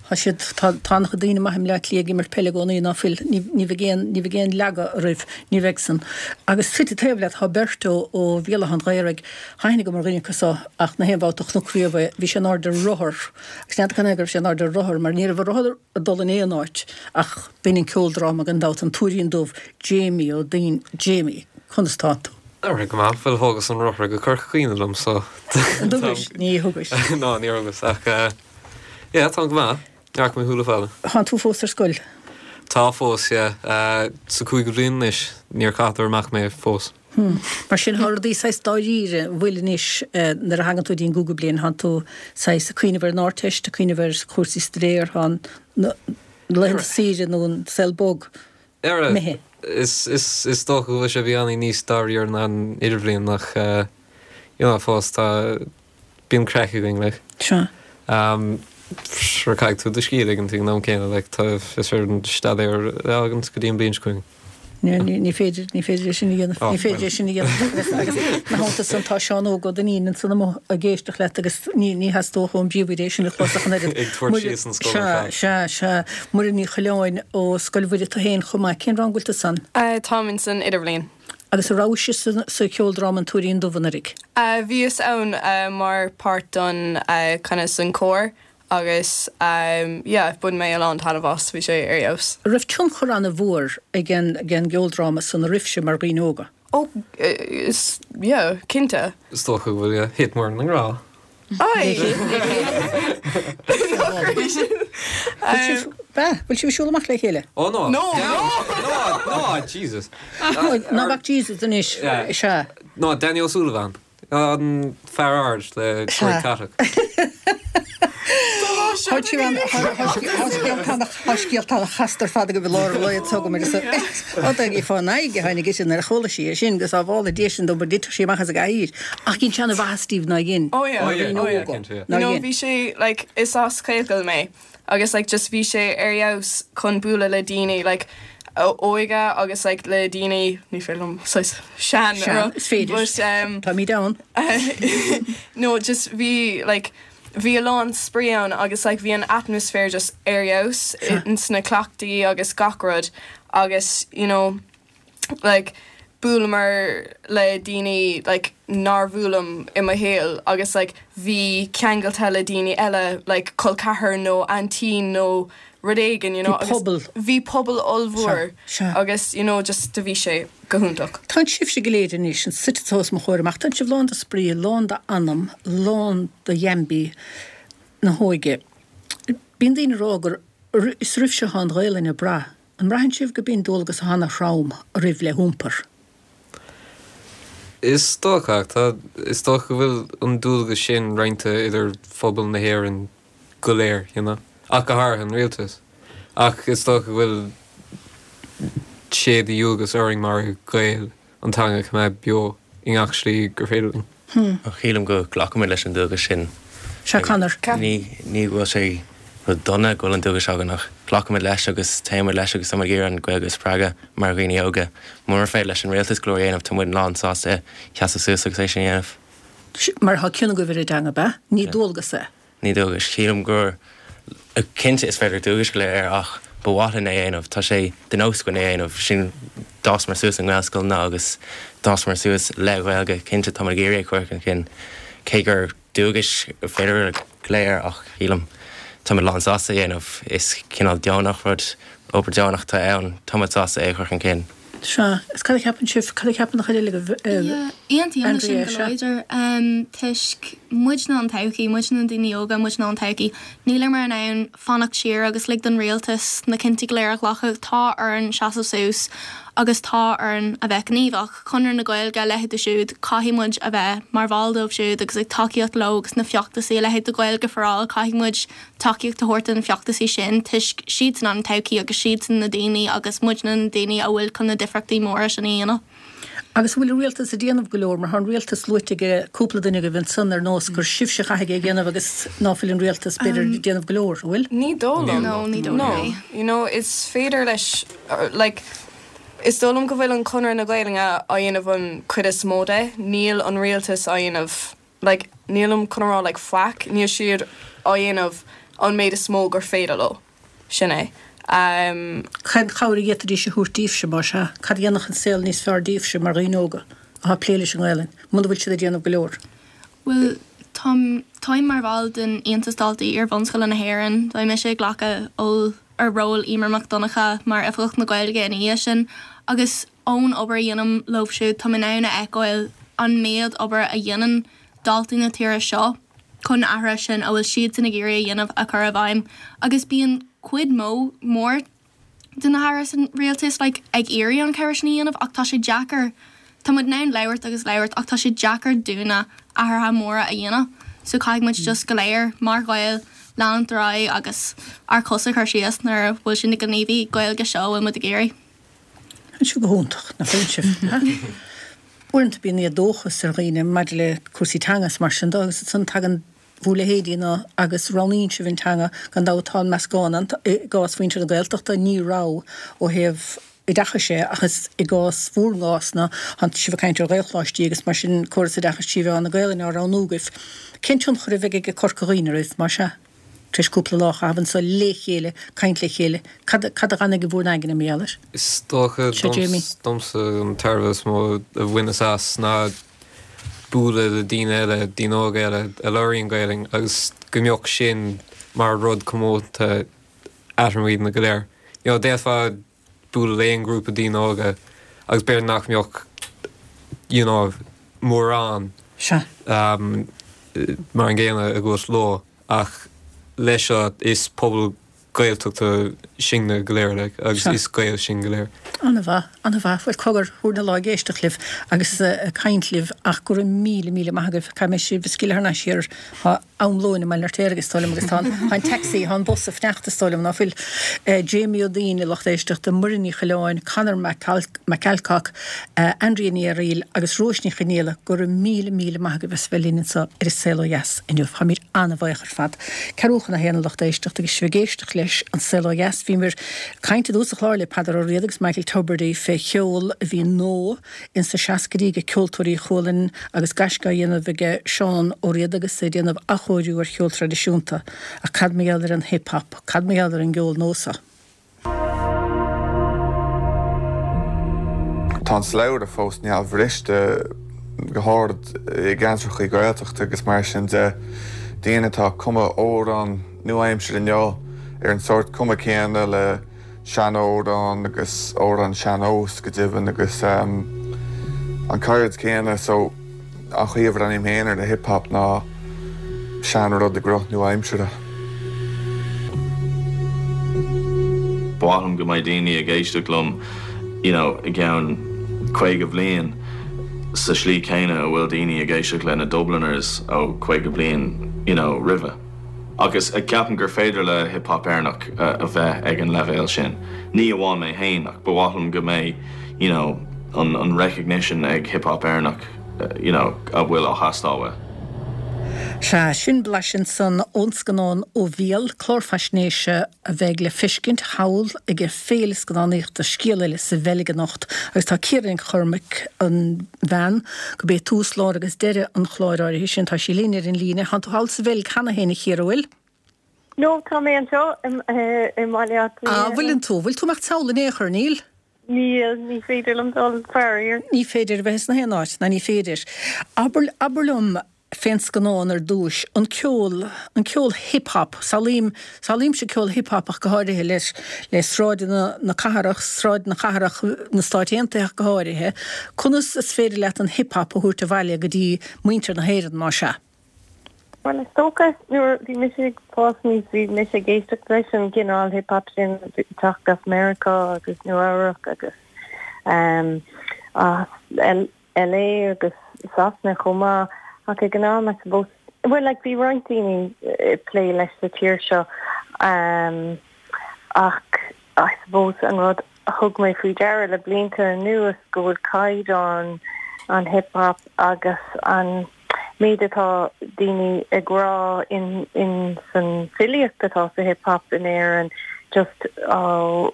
Tá siad, tá, tá an-chuid daoine maithe i mBleá Cliath ag imirt peile i gcónaí ná fuil, ní, ní bheidh aon, ní bheidh aon leagadh oraibh, ní bheidh san. Agus suite taobh leat tá beirt ó, ó Bhéal Átha an Ghaorthaidh, tá aithne agam ar dhuine acu so ach na haon bhabhta a chonac riamh é, bhí sé in airde ar rothar, agus n'fheadar cad chuige go raibh sé in airde ar rothar mar ní raibh a rothar ag dul in aon áit ach b'in an ceoldráma gan dabht, An Tuairín Dubh, Jamie Ó Duinn, Jamie, conas tánn tú? Ar go maith, bhuel thógas an rothar go Corca Dhuibhne liom so. An dtugais? Ní thugais. Ná níor thugas ach yeah táim go maith, ní fhaca mé shúile fada. Tánn tú fós ar scoil? Tá fós, yeah. Sa cúigiú bliain anois, níor caitheadar amach mé fós. Hmm. Mar sin tá rudaí saghas dáiríre, an bhfuil anois nuair a thagann tú dtí an gcúigiú bliain, tánn tú saghas ag cuimhneamh ar an Ardteist, ag cuimhneamh ar chúrsaí staidéir, tá na laethanta saoire nó an saol bog imithe. Is, is, is dócha go bhfuil sé beagáinín níos dáiríre ná an idirbhliain ach you know fós tá, bíonn craic againn like. Sea. Sure caithfidh tú do scíth a ligint ag an am céanna like tá is féidir an staidéar a fhágaint go dtí an bliain seo chugainn. Ní, ní féidir, ní féidir é sin a dhéanamh, ní féidir é sin a dhéanamh agus, agus ina theannta san tá Seán Óg Ó Duinnín ansan amuigh ag éisteacht leat agus ní, ní theastódh ón bpríomhoide é sin a chlos ach an oiread. Ag tabhairt síos an scoil ar fad. Sea, sea, sea. Muireann Ní Choileáin ó Scoil Mhuire tú féin chomh maith. Cén rang a bhfuil tú san? Táim ins an idirbhliain. Agus an rabhais sa cheoldráma An Tuairín Dubh anuraidh? Bhíos ann mar páirt don kind of san cór agus yeah bhain mé a lán taitneamh as, bhí sé ar fheabhas. An raibh tionchar an-mhór ag an gceoldráma san oraibhse mar dhaoine óga? Oh is yeah cinnte. Is dócha go bhfuil yeah, thit Muireann i ngrá. Bhfuil sibh ag siúl amach le chéile? Oh no. No! No! No! Jesus. Ná bac Jesus anois, sea. No, Danny O'Sullivan. An fear ard le gruaig catach. Tá scéalta ana-chasta ar fad agaibh i lár an lae anseo agam ar Ó fán aghaidh a tháinig uirthi nuair a chuala sí é sin go sábhála Dia sinn dó mar d'fhéadfadh sí amach as an gcathaoir. Ach dhein sé ana-mhaitheas daoibh ná dhein? Oh yeah, oh yeah, cinnte. You know bhí sé like is as Gaelscoil mé agus like just bhí sé ar fheabhas chun bualadh le daoine like óige agus like le daoine ní féidir liom saghas sean a rá Is féidir. but um Táimid ann. no just bhí like bhí a lán spraoi ann agus like bhí an atmaisféar just ar fheabhas ins na cleachtaí agus gach rud agus you know like bhuaileamar le daoine like nár bhuailim i mo shaol agus like bhí ceangailte le daoine eile like col ceathar nó aintín nó rud éigin you know Bhí pobal. bhí pobal ollmhór Sea, sea. agus you know just do bhí sé go hiontach. Tánn sibhse go léir anois, suite anseo os mo chomhair amach, tánn sibh lán de spraoi, lán d'anam, lán de dheaimbe na hóige. Bíonn daoine ag rá gur is oraibhse atá an Ghaelainn ag brath. An mbraitheann sibh go bíonn dualgas ana-throm oraibh le hiompar? Is dócha, ach tá, is dócha go bhfuil an dualgas sin roinnte idir phobal na hÉireann go léir, you know, ach go háirithe an rialtas. Ach is dócha go bhfuil sé de dhualgas orainn mar Ghaeil an teanga a choimeád beo i ngach slí gur féidir linn. Ach sílim go nglacaimid leis an dualgas sin. Sea, Conor. Ní ní go bhfuil sé rud dona go bhfuil an dualgas againn ach glacaimid leis agus téimid leis agus táimid ag iarraidh an Ghaeilge a spreagadh mar dhaoine óga. Murar féidir leis an rialtas go leor a dhéanamh tá muid lán sásta seasamh suas agus é sin a dhéanamh. Mar tá cion agaibh ar an dteanga, ab ea? Ní dualgas é. Ní dualgas. Sílim gur, cinnte is féidir dualgas a ghlaoch air ach ba mhaith linn é a dhéanamh. Tá sé de nós againn é a dhéanamh. Sin, d'fhásamar suas i nGaelscoileanna agus d'fhásamar suas le Gaeilge. Cinnte táimid ag iarraidh é a chur chun cinn. Cé gur dualgas féidir a ghlaoch air ach sílim táimid lán sásta é a dhéanamh. Is cineál deonach rud, obair deonach atá ann. Táimid sásta é a chur chun cinn. Sea. Is cad a cheapann sibh, cad a cheapann an chuid eile agaibh, Yeah, aontaím leis sin Andrea, go sea. láidir. Toisc muidne an todhchaí, muidne na daoine óga, muidne an todhchaí. Níleamar in ann fanacht siar agus lig don rialtas na cinntí go léir a ghlacadh. Tá orainn seasamh suas agus tá orainn a bheith gníomhach. Conradh na Gaeilge, a leithéid siúd, caithfidh muid a bheith mar bhall dóibh siúd agus ag tacaíocht leo agus na feachtasaí, a leithéid de Gaeilge for All, caithfidh muid tacaíocht a thabhairt do na feachtasaí sin toisc siadsan an todhchaí agus siadsan na daoine agus muidne na daoine a bhfuil chun na difríochtaí móra sin a dhéanamh. Agus an bhfuil an rialtas ag déanamh go leor, mar tá an rialtas luaite ag cúpla duine agaibh ansan ar nós gur sibhse a chaithfidh é a dhéanamh agus ná fuil an rialtas b'fhéidir ag déanamh go leor, an bhfuil? Ní dóigh liom. No, ní dóigh No. liom. You know, is féidir leis, like, is dóigh liom go bhfuil an Conradh na Gaelainne á dhéanamh an cuid is mó de, níl an rialtas á dhéanamh like nílim chun a rá like faic, níl siad á dhéanamh. an méid is mó gur féidir leo. Sin é. Cén chabhair a d'fhéadfaidís a thabhairt daoibhse, más ea? Cad a dhéanfadh an saol níos fearr daoibhse mar dhaoine óga atá ag plé leis an nGaelainn, muna bhfuil siad ag déanamh go leor? Bhuel, táim, táim mar bhall den Aontas Daltaí Iar-bhunscoile na hÉireann. Beidh mise ag glacadh ól, ar ról Emer Mac Donncha mar Oifigeach na Gaeilge ina dhiaidh sin agus ón obair a dhéanaim leo siúd táim in ann a fheiceáil an méid obair a dhéanann daltaí na tíre seo chun na hathruithe sin a bhfuil siadsan ag iarraidh a dhéanamh a chur i bhfeidhm agus bíonn cuid mó mór de na hairí san rialtas like ag iarraidh an cabhair sin a dhéanamh ach tá sé deacair, tá muid in ann labhairt agus labhairt ach tá sé deacair dúinne athruithe móra a dhéanamh so caithfidh muid just go léir mar Ghaeil leanúint ar aghaidh agus ár cosa a chur síos nuair a bhfuil sé na gníomhaí Gaeilge seo a bhfuil muid ag iarraidh. Tá sibh go hiontach, nach bhfuil sibh? Uaireanta bíonn éadóchas ar dhaoine maidir le cúrsaí teanga is mar sin de agus ansan tagann bhur leithéidí-na agus roghnaíonn sibh an teanga, gan dabht tá an meascán ann, i gcás mhuintir na Gaeltachta ní raibh ó thaobh oideachais é ach is i gcás bhur gcás-na, tá sibh ag caint ar Ghaelcholáistí agus mar sin córas oideachais trí mheán na Gaelainne á roghnú agaibh. Cén tionchar a bheidh aige Corca Dhuibhne oraibh, más ea, tar éis cúpla lá a chaitheamh anso le chéile, caint le chéile, cad cad a d'fhanfaidh i bhur n-aigne mar gheall air? Is dócha domsa an tairbhe is mó a bhaineas as ná bualadh le daoine eile, daoine óga eile a labhraíonn Gaelainn agus go mbeadh sin mar rud comónta eadrainn go léir. You know, d'fhéadfá bualadh le aon ghrúpa daoine óga agus b'fhéidir nach mbeadh you know, mórán Sea. um, mar an gcéanna agat leo ach leis seo is pobal Gaeltachta sinne go léir like agus is Gaeil sinn go léir. An-mhaith, an-mhaith. Bhuel, cogar, thabharfainn an lá ag éisteacht libh agus ag caint libh ach go raibh míle, míle maith agaibh. Caithfidh mé sibh a scaoileadh thar n-ais thiar. Tá am lóin i mBaile an Fheirtéaraigh is dóigh liom agus tá an, tá an taxi, tá an bus ag fanacht is dóigh liom, ná fuil? Jamie Ó Duinn, a lucht éisteachta, Muireann Ní Choileáin, Conor McAlcock, Andrea Ní Fhearaíl agus Róis Ní Chonaola, go raibh míle, míle maith agaibh as a bheith linn anseo ar An Saol Ó Dheas inniu. Táimid an-bhuíoch ar fad. Ceathrú chun a haon a lucht éisteachta agus sibh ag éisteacht leis An Saol Ó Dheas. Bhíomar ag caint i dtús an chláir le Peadar Ó Riada agus Michael Tubridy fé cheol a bhí nua ins na seascaidí ag Ceoltóirí Chualann agus gaisce á dhéanamh aige Seán Ó Riada agus é ag déanamh athchóiriú ar cheol traidisiúnta. Ach cad mar gheall ar an hip hop? Cad mar gheall ar an gceol nua? Tá an slabhra fós neamhbhriste, go háirid i gceantracha Gaeltachta agus mar sin de. Daoine atá ag cumadh amhrán nua-aimseartha inniu ar an sórt cuma céanna le sean-amhrán agus amhrán sean-nós go deimhin agus an ceird céanna so an chaoi a bhreathnaím féin ar an hip hop ná sean-rud i gcruth nua-aimseartha. Ba mhaith liom go mbeidh daoine ag éisteacht liom you know i gceann 50 bliain sa slí céanna a bhfuil daoine ag éisteacht le na Dubliners ó 50 bliain you know roimhe. Agus ceapaim gur féidir le hip hop Éireannach a bheith ag an leibhéal sin. Ní amháin mé féin ach ba mhaith liom go mbeidh you know an recognition ag hip hop Éireannach you know a bhfuil á theastáil uaidh. Sea, sin blaiseadh ansan ón scannán Ó Bhéal, clár faisnéise a bheidh le feiscint thall ag Féile Scannánaíochta Scéal Eile sa Bheilg anocht agus tá Ciara Nic Chormaic, an bhean gurb é tús, lár agus deireadh an chláir áirithe sin, tá sí linn ar an líne. Tánn tú thall sa Bheilg cheana féin, a Chiara, bhfuil? No, tá mé anseo i mBaile Átha Cliath. Ah, bhfuileann tú? Bhfuil tú ag imeacht sall in aon chor, níl? Níl, ní féidir liom dul, faraor. Ní féidir a bheith sna haon áit, ná ní féidir. Abair, abair liom fén scannán ar dtúis, an ceol, an ceol hip hop, samhlaím, samhlaímse ceol hip hop ach go háirithe le, le sráideanna na cathrach, sráideanna cathrach na Stáit Aontaithe ach go háirithe. Conas is féidir leat an hip hop a thabhairt abhaile go dtí muintir na hÉireann, más ea? Bhuel, is dócha, nuair a bhí mise ag fás aníos, bhí mise ag éisteacht leis an gcineál hip hop sin ag teacht as Meiriceá agus Nua Eabhrac agus as LA agus Sasana chomh maith. Ach ag an am, I suppose, bhuel, like, bhí roinnt daoine ag plé leis sa tír seo ach I suppose an rud a thug mé faoi deara le blianta anuas go bhfuil caighdeán an hip hop agus an méid atá daoine ag rá in in san filíocht atá sa hip hop in Éirinn just á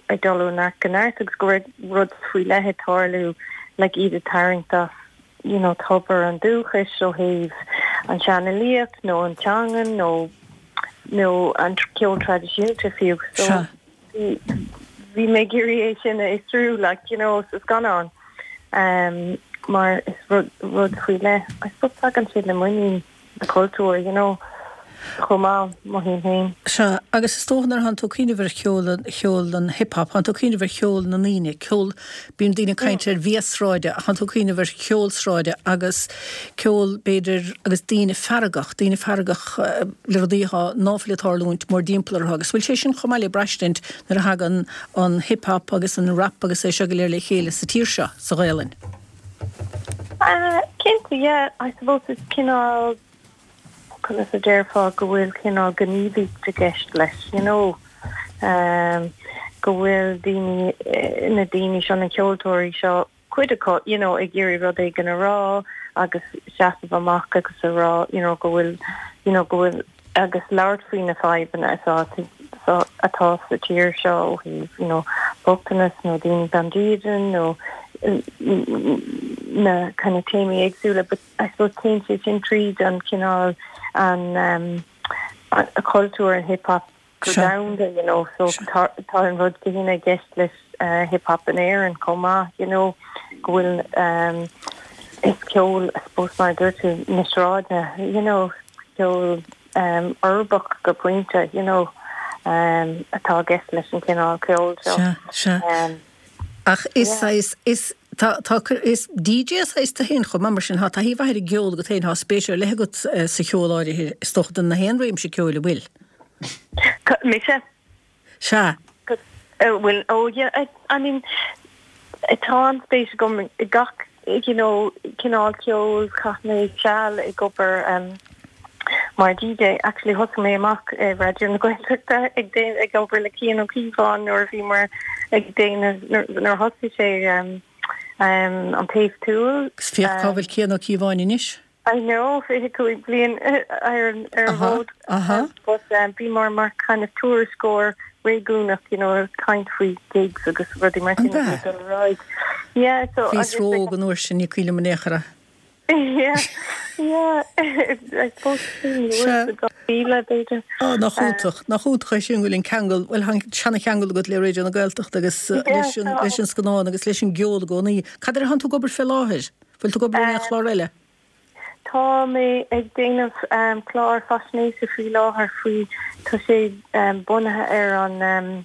ag dul ó neart go neart agus go raibh rud faoi leith ag tarlú like iad ag tarraingt as you know tobar an dúchais ó thaobh an seanfhilíocht nó an teangan nó. nó an ceol traidisiúnta fiú. So bhí bhí mé ag iarraidh é sin a fhiosrú like you know sa scannán um, mar is rud rud faoi leith. I suppose tagann sé le muinín na cultúr you know chomh maith, mothaím féin. Sea, agus is dócha nuair atánn tú ag cuimhneamh ar cheol, cheol an hip hop, tánn tú ag cuimhneamh ar cheol na ndaoine, ceol, bíonn daoine ag caint ar bhia sráide ach tánn tú ag cuimhneamh ar cheol sráide agus ceol b'fhéidir agus daoine feargach, daoine feargach le rudaí atá, ná fuil ag tarlúint mórdtimpeall orthu agus bhfuil sé sin chomh maith le braistint nuair a thagann an hip hop agus an rap agus é seo go léir le chéile sa tír seo, sa Ghaelainn? Cinnte, yeah, I suppose is cineál, conas a déarfá, go bhfuil cineál gníomhaíocht i gceist leis, you know, go bhfuil daoine, na daoine seo, na ceoltóirí seo, cuid acu, you know, ag iarraidh rud éigin a rá agus seasamh amach agus a rá, you know, go bhfuil, you know, go bhfuil, agus labhairt faoi na fadhbanna atá atá sa tír seo ó thaobh you know bochtanas nó daoine gan dídean nó na kind of téamaí éagsúla but I suppose téann sé sin tríd an cineál an um, cultúr an hip hop go domhanda you know so tá tá an rud céanna i gceist leis uh, hip hop in Éirinn chomh maith you know go bhfuil um, is ceol I suppose mar a dúirt tú na sráide you know ceol um, uirbeach go pointe you know um, atá i gceist leis an cineál ceoil seo. Sea, sea. Um, Ach is saghas, is, tá, tá, is DJ saghas tú féin chomh maith mar sin, tá taithí mhaith ar an gceol agat féin, tá spéis ar leith agat sa cheol áirithe, is dócha, de na haon réimse ceoil an bhfuil? Mise? Sea. Bhuel, oh yeah, I, I mean, tá an-spéis agam i gach, you know, cineál ceoil, chaith mé seal ag obair um, mar DJ. Actually thosaigh mé amach i Raidió na Gaeltachta ag déan, ag obair le Cian Ó Cíobháin nuair a bhíomar ag déanamh, nuair a thosaigh sé um, um, an Taobh Tuathail. Agus féach cá bhfuil Cian Ó Cíobháin anois. I know, 25 bliain ar an bhfód. But bhíomar mar kind of tuairisceoir réigiúnach, you know, ag caint faoi gigs agus rudaí mar sin a bhí ag dul ar aghaidh. Yeah, so. Bhíos ró-óg an uair sin, ní cuimhin liom in aon chor é. Yeah, yeah, I suppose sin uair sa 2000 b'fhéidir. Á, nach iontach, nach iontach é sin go bhfuil an ceangal, bhuel tá an seana-cheangal agat le Raidió na Gaeltachta agus leis an, leis an scannán agus leis an gceol i gcónaí. Cad air atánn tú ag obair fé láthair? Bhfuil tú ag obair ar aon chlár eile? Tá mé ag déanamh clár faisnéise faoi láthair faoi, tá sé bunaithe ar an an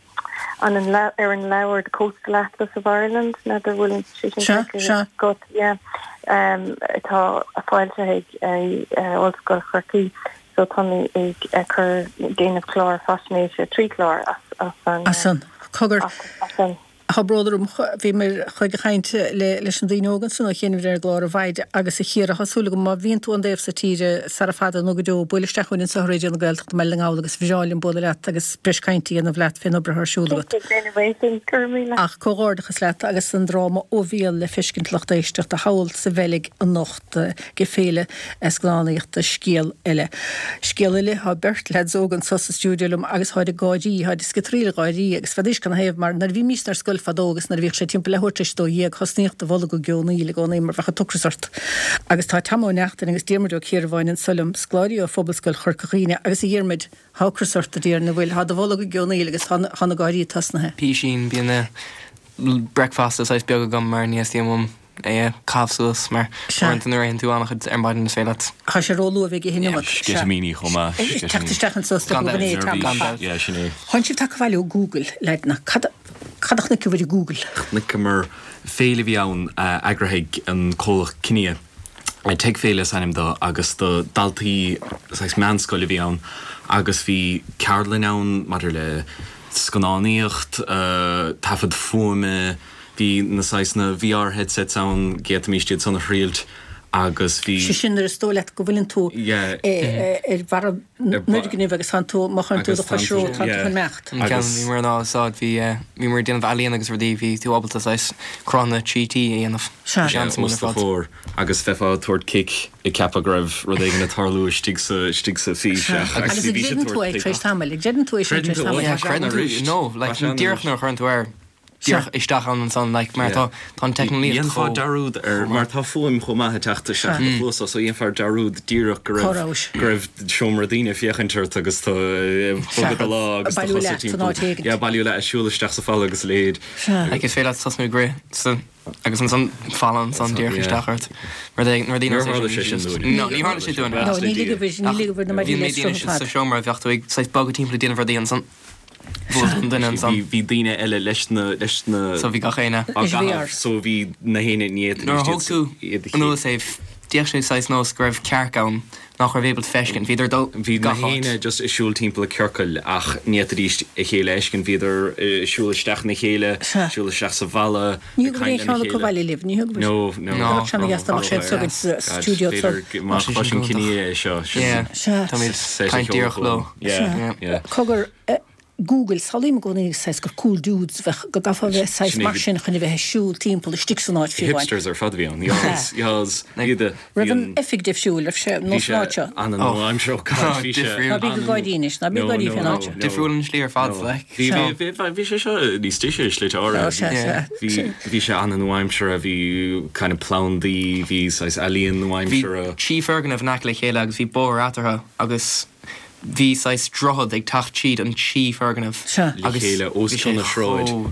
ar an leabhar The Coastal Atlas of Ireland, n'fheadar bhfuil sé sin feicthe agat, yeah, atá foilsithe ag Ollscoil Chorcaí. So tá mé ag cur, déanamh clár faisnéise, trí chlár as an. As an, cogar. As an. Tá bród orm, bhíomar ag caint leis na daoine óga ansan ó chianaibh ar an gclár a Mhaid agus a Chiara, tá súil agam má bhíonn tú an dtaobh so tíre sara fada nó go deo, buail isteach chugainn anso i Raidió na Gaeltachta i mBaile na nGall agus bhreá linn bualadh leat agus breis cainte a dhéanamh leat fén obair atá ar siúl agat. Ach comhghairdeachas leat agus an dráma Ó Bhéal le feiscint lucht éisteachta thall sa Bheilg anocht. ag Féile Scannánaíochta Scéal Eile. Scéal eile, tá beirt leaids óga anso sa stiúideo liom agus táid ag gáirí, táid ag sciotraíl ag gáirí agus n'fheadaís canathaobh mar nuair a bhímísne ar scoil fadó agus nuair a bhíodh sé timpeall leathuair tar éis a 12 thosnaíodh do bholg ag geonaíl i gcónaí mar bheadh an t-ocras ort. Agus tá Tom Ó Neachtain agus Diarmuid Ó Ciarbháin anso liom, scoláirí ó Phobalscoil Chorca Dhuibhne agus a Dhiarmuid, tá ocras ort a déarfainn, an bhfuil, tá do bholg ag geonaíl agus tá na gáirí tosnaithe. Písín, bíonn breakfast saghas beag agam mar ní theastaíonn uaim é a chaitheamh suas mar uaireanta nuair a itheann tú an-chuid ar maidin is féidir leat. Tá sé róluath a bheith ag ithe an iomad. Sceitimíní chomh maith. Teacht isteach anso is dócha gurb in é Tom. Gan dabht. Yeah, sin é. Tánn sibh tagtha abhaile ó Google, leaideanna. Cad cad a chonaiceabhair i Google? Chonaiceamar féile a bhí ann eagraithe ag an comhlacht Kinia. Tech Féile is ainm dó agus do daltaí saghas meánscoile a bhí ann agus bhí ceardlann ann maidir le scannánaíocht, taifead fuaime, Bhí na saghas na VR headsets ann, d'fhéadfaimis iad san a thriailt agus bhí. Sé sin nuair is dóigh leat go bhfuileann tú ar bharra an fhoirgnimh agus tánn tú, má chuireann tú do chois romhat, tánn tú chun imeacht. An ceann a bhíomar in ann a úsáid, bhí, bhíomar ag déanamh ealaíon agus rudaí, bhí tú ábalta saghas cruthanna 3D a dhéanamh. Sea. Bhí sé an-suimiúil ar fad. Os do chomhair agus bheifeá ag tabhairt cic ag ceapadh go raibh rud éigin ag tarlú istigh sa, istigh sa fís ach Agus bhí siad ag tabhairt cic. Agus an gcreideann tú é tar éis tamaill? An gcreideann tú é sin tar éis tamaill? Creideann tú, no, like díreach nuair a chuireann tú air. díreach isteach ann ansan like mar tá tá an teicneolaíocht Dhéanfá chomh dearúd ar mar tá fuaim chomh maith ag teacht isteach i do chluasa so dhéanfá dearúd díreach go Cá raibh rabhais? go raibh seomra daoine ag féachaint ort agus tú ag bogadh do lámh agus do Bailiú chosa leat san áit timpeall. éigint. Yeah, bailiú leat ag siúl isteach sa falla agus a leithéid. Sea. Like is féidir leat tosnú ag rith sa agus ansan falla ansan díreach isteach ort. Rud éigin nuair a Níor tharla sé sin dúinn. No, ní tharla sé dúinn. No, ní ligfidh ní ligfidh na Bhí maidí an le méid daoine sruth ar sa fad. seomra bheadh tú ag saghas bogadh timpeall ag déanamh rudaí ansan bhuail an duine ansan. Bhí daoine eile leis na leis na So bhí gach éinne. á Leis an gcaitheamh VR. so bhí na héinne ní fhéadfaidís Nuair a thóg tú iad a anuas é d'fhéach sé saghas nós go raibh cearc ann nach raibh ábalta feiscint. Bhíodar ag dul Bhí na gach áit. héinne just ag siúl timpeall i ciorcail ach ní fhéadfaidís a chéile a fheiscint. Bhíodar ag siúl isteach ina chéile, Sea. siúl isteach sa bhalla, Ní ag thug aon caint lena cheann acu chéile. abhaile libh, ní thug. No, no. No. Bheadh seana dheas dá mbeadh sé God, againn sa stiúideo b'fhéidir ansan. má Bheadh sé sin chloiseann go Kinia hiontach. é seo, sin Yeah. Sea. Táimid set a caint cheol díreach leo. chugam. Yeah, Yeah. yeah. Cogar, Google, samhlaím i gcónaí saghas gur cool dudes a bheadh, go gcaithfeá a bheith saghas Sin é mar sin chun a bheith ag siúl timpeall istigh san áit fiú amháin. Hipsters ar fad a bhí ann. Yas, yas. Iad a, bhí Raibh an an, oifig difriúil, raibh sé bhí nós sé an áit seo. an-nua-aimseartha, oh God, bhí sé Difriúil. Ná bí go gáirí anois, ná bí No, gáirí no, fén no, áit seo. no. Difriúil an slí ar fad, No. like. Bhí, Sea. bhí, bhí, bhí sé seo níos deise i slite áirithe. Ó, sea, sea. Bhí, bhí sé an-nua-aimseartha, bhí kind of plandaí, bhí saghas ealaíon Bhí nua-aimseartha. trí foirgneamh in aice le chéile agus bhí bóthar eatarthu agus Bhí saghas droichead ag teacht tríd an trí foirgneamh Sea. Le agus chéile os bhí sé cionn na sráid chomh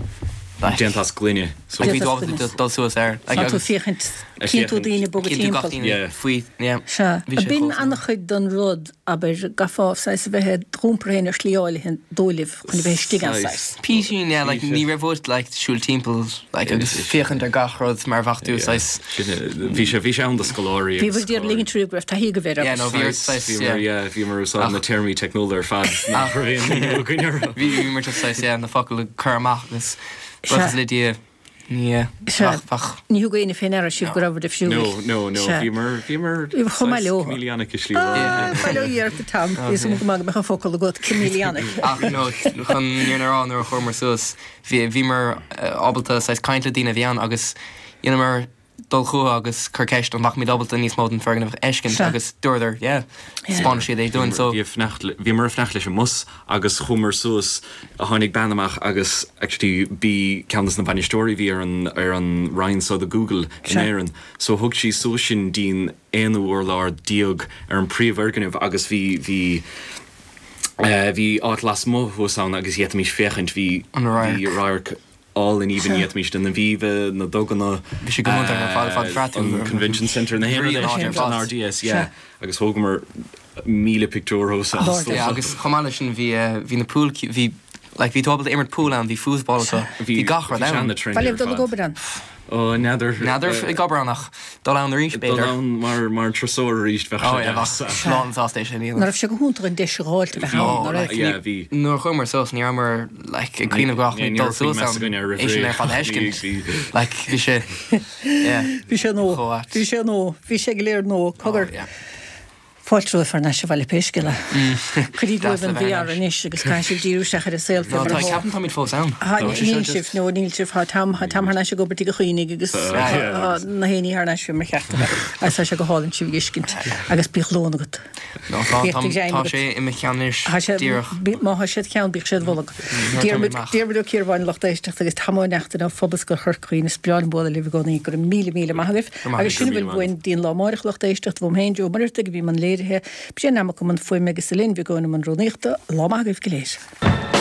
like déanta as gloine. So like bhí Déanta tú as ábalta gloine. dul suas air like Tá tú agus féachaint, Ag cíonn tú féachaint. daoine ag bogadh cíonn tú gach timpeall. duine Yeah. faoi yeah Sea. bhí sé B'in chomh an-chuid den rud, abair, gcaithfeá saghas a bheith i d'iompar féin ar shlí áirithe dóigh libh chun a bheith istigh ann Saghas. saghas. Písín yeah like Bhí sé. ní raibh uait like siúl timpeall like agus féachaint ar gach rud mar bheadh tú saghas Bhí sé bhí sé ann do scoláirí Bhí agus bhur dtír ligint riamh go raibh taithí agaibh air Yeah agus. no bhí ort saghas Bhíomar yeah yeah bhíomar ag úsáid na téarmaí teicniúla ar fad nach raibh aon míniú againn orthu. Bhí bhíomar just saghas yeah na focail a chur amach agus Sea. buíochas le Dia ní yeah Sea. bheadh bheadh Ní thug éinne fé ndeara sibh go raibh difriúil. No no no Sea. bhíomar bhíomar Bhíomar chomh maith saghas leo. chameleonic i slí Ah, amháin. bail ó Dhia ort a Tom. Bhí a fhios agam go maith go mbeadh an focal agat, chameleonic. Ach no chun an fhírinne a rá nuair a chuamar suas bhí bhíomar ábalta saghas caint le daoine a bhí ann agus dheineamar dul chucu agus cur ceist an mbeadh muid ábalta níos mó den foirgneamh a fheiscint agus dúradar yeah, spáin siad é dúinn so. Bhí ag fanacht le, bhíomar ag fanacht leis an mbus agus chuamar suas, tháinig bean amach agus actually b'í ceann des na bainisteoirí a bhí ar an, ar an roinn so do Google in Éirinn so thug sí suas sinn dtí'n aonú urlár déag ar an príomhfhoirgneamh agus bhí, bhí, eh, bhí áit lasmuigh thuas ann agus d'fhéadfaimis féachaint, bhí, An radharc. bhí radharc. álainn aoibhinn d'fhéadfaimis na Aviva, na duganna, Bhí sé go hiontach ar fad, fad bhraith tú an Convention Centre, na haon rud Bhí an áit ar an fad. RDS, yeah. Agus thógamar 1,000 pictiúr thuas ann. Yeah, agus chomh maith leis sin bhí bhí na pool bhí like bhí tú ábalta imirt pool ann, bhí foosball acu, bhí gach rud Bhí sé ann. an-trendy Ba ar libh dul ag fad. obair ann. Ó, n'fheadar. N'fheadar ag obair ann ach dul ann arís Dul b'fhéidir. ann mar mar turasóir arís bheadh Ó sé yeah, deas. bheadh lán sásta é sin a Ná dhéanamh. raibh sé go hiontach an deis a dh'fháilt a bheith Ó, ann, ná raibh? like, Yeah, ní, bhí. nuair a chuamar suas ní rabhamar like ag cuimhneamh go raibh Ní muid dul raibh faoi suas meas ann againn ar roimh é sin ré. ar fad a Bhí, fheiscint. bhí. Like bhí sé yeah Bhí sé nó. chomh ait. Bhí sé nó. Bhí sé go léir nó. Cogar. Ó yeah. Fáilte romhaibh thar n-ais abhaile pé scéal é. Cuirigí Deas uaibh le an bheith VR ar ais. anois agus caithfidh sibh díriú isteach ar an saol fé No mar tá atá. ceapaim táimid fós ann. Tá Tá sé níl seo just sibh, no níl sibh, tá Tom, tá Tom thar n-ais ag obair tigh a Chaoinigh agus tá na héinní thar n-ais fé mar cheart a bheith. Agus tá sé go hálainn sibh a fheiscint agus bíodh lón agat. No tá Bíodh tá do ghreim tá agat. sé i mo cheann anois Tá sé, díreach. má tá sé id cheann, bíodh sé id bholg. Nuair Diarmuid, táimid amach. Diarmuid Ó Ciarbháin, lucht éisteachta agus Tom Ó Neachtain ó Phobalscoil Chorca Dhuibhne, is breá liom bualadh libh i gcónaí. Go raibh míle míle maith agaibh. Go maith Agus sin a Go bhfuil raibh míle uainn maith go dtí an lá amáireach, lucht éisteachta, uaim féin, Joe Ó Muircheartaigh, a bhí i mbun léirithe, Brian Mac i mbun fuaime agus Elaine Mhic Eoin i mbun rúnaíochta. Lá maith agaibh go léir.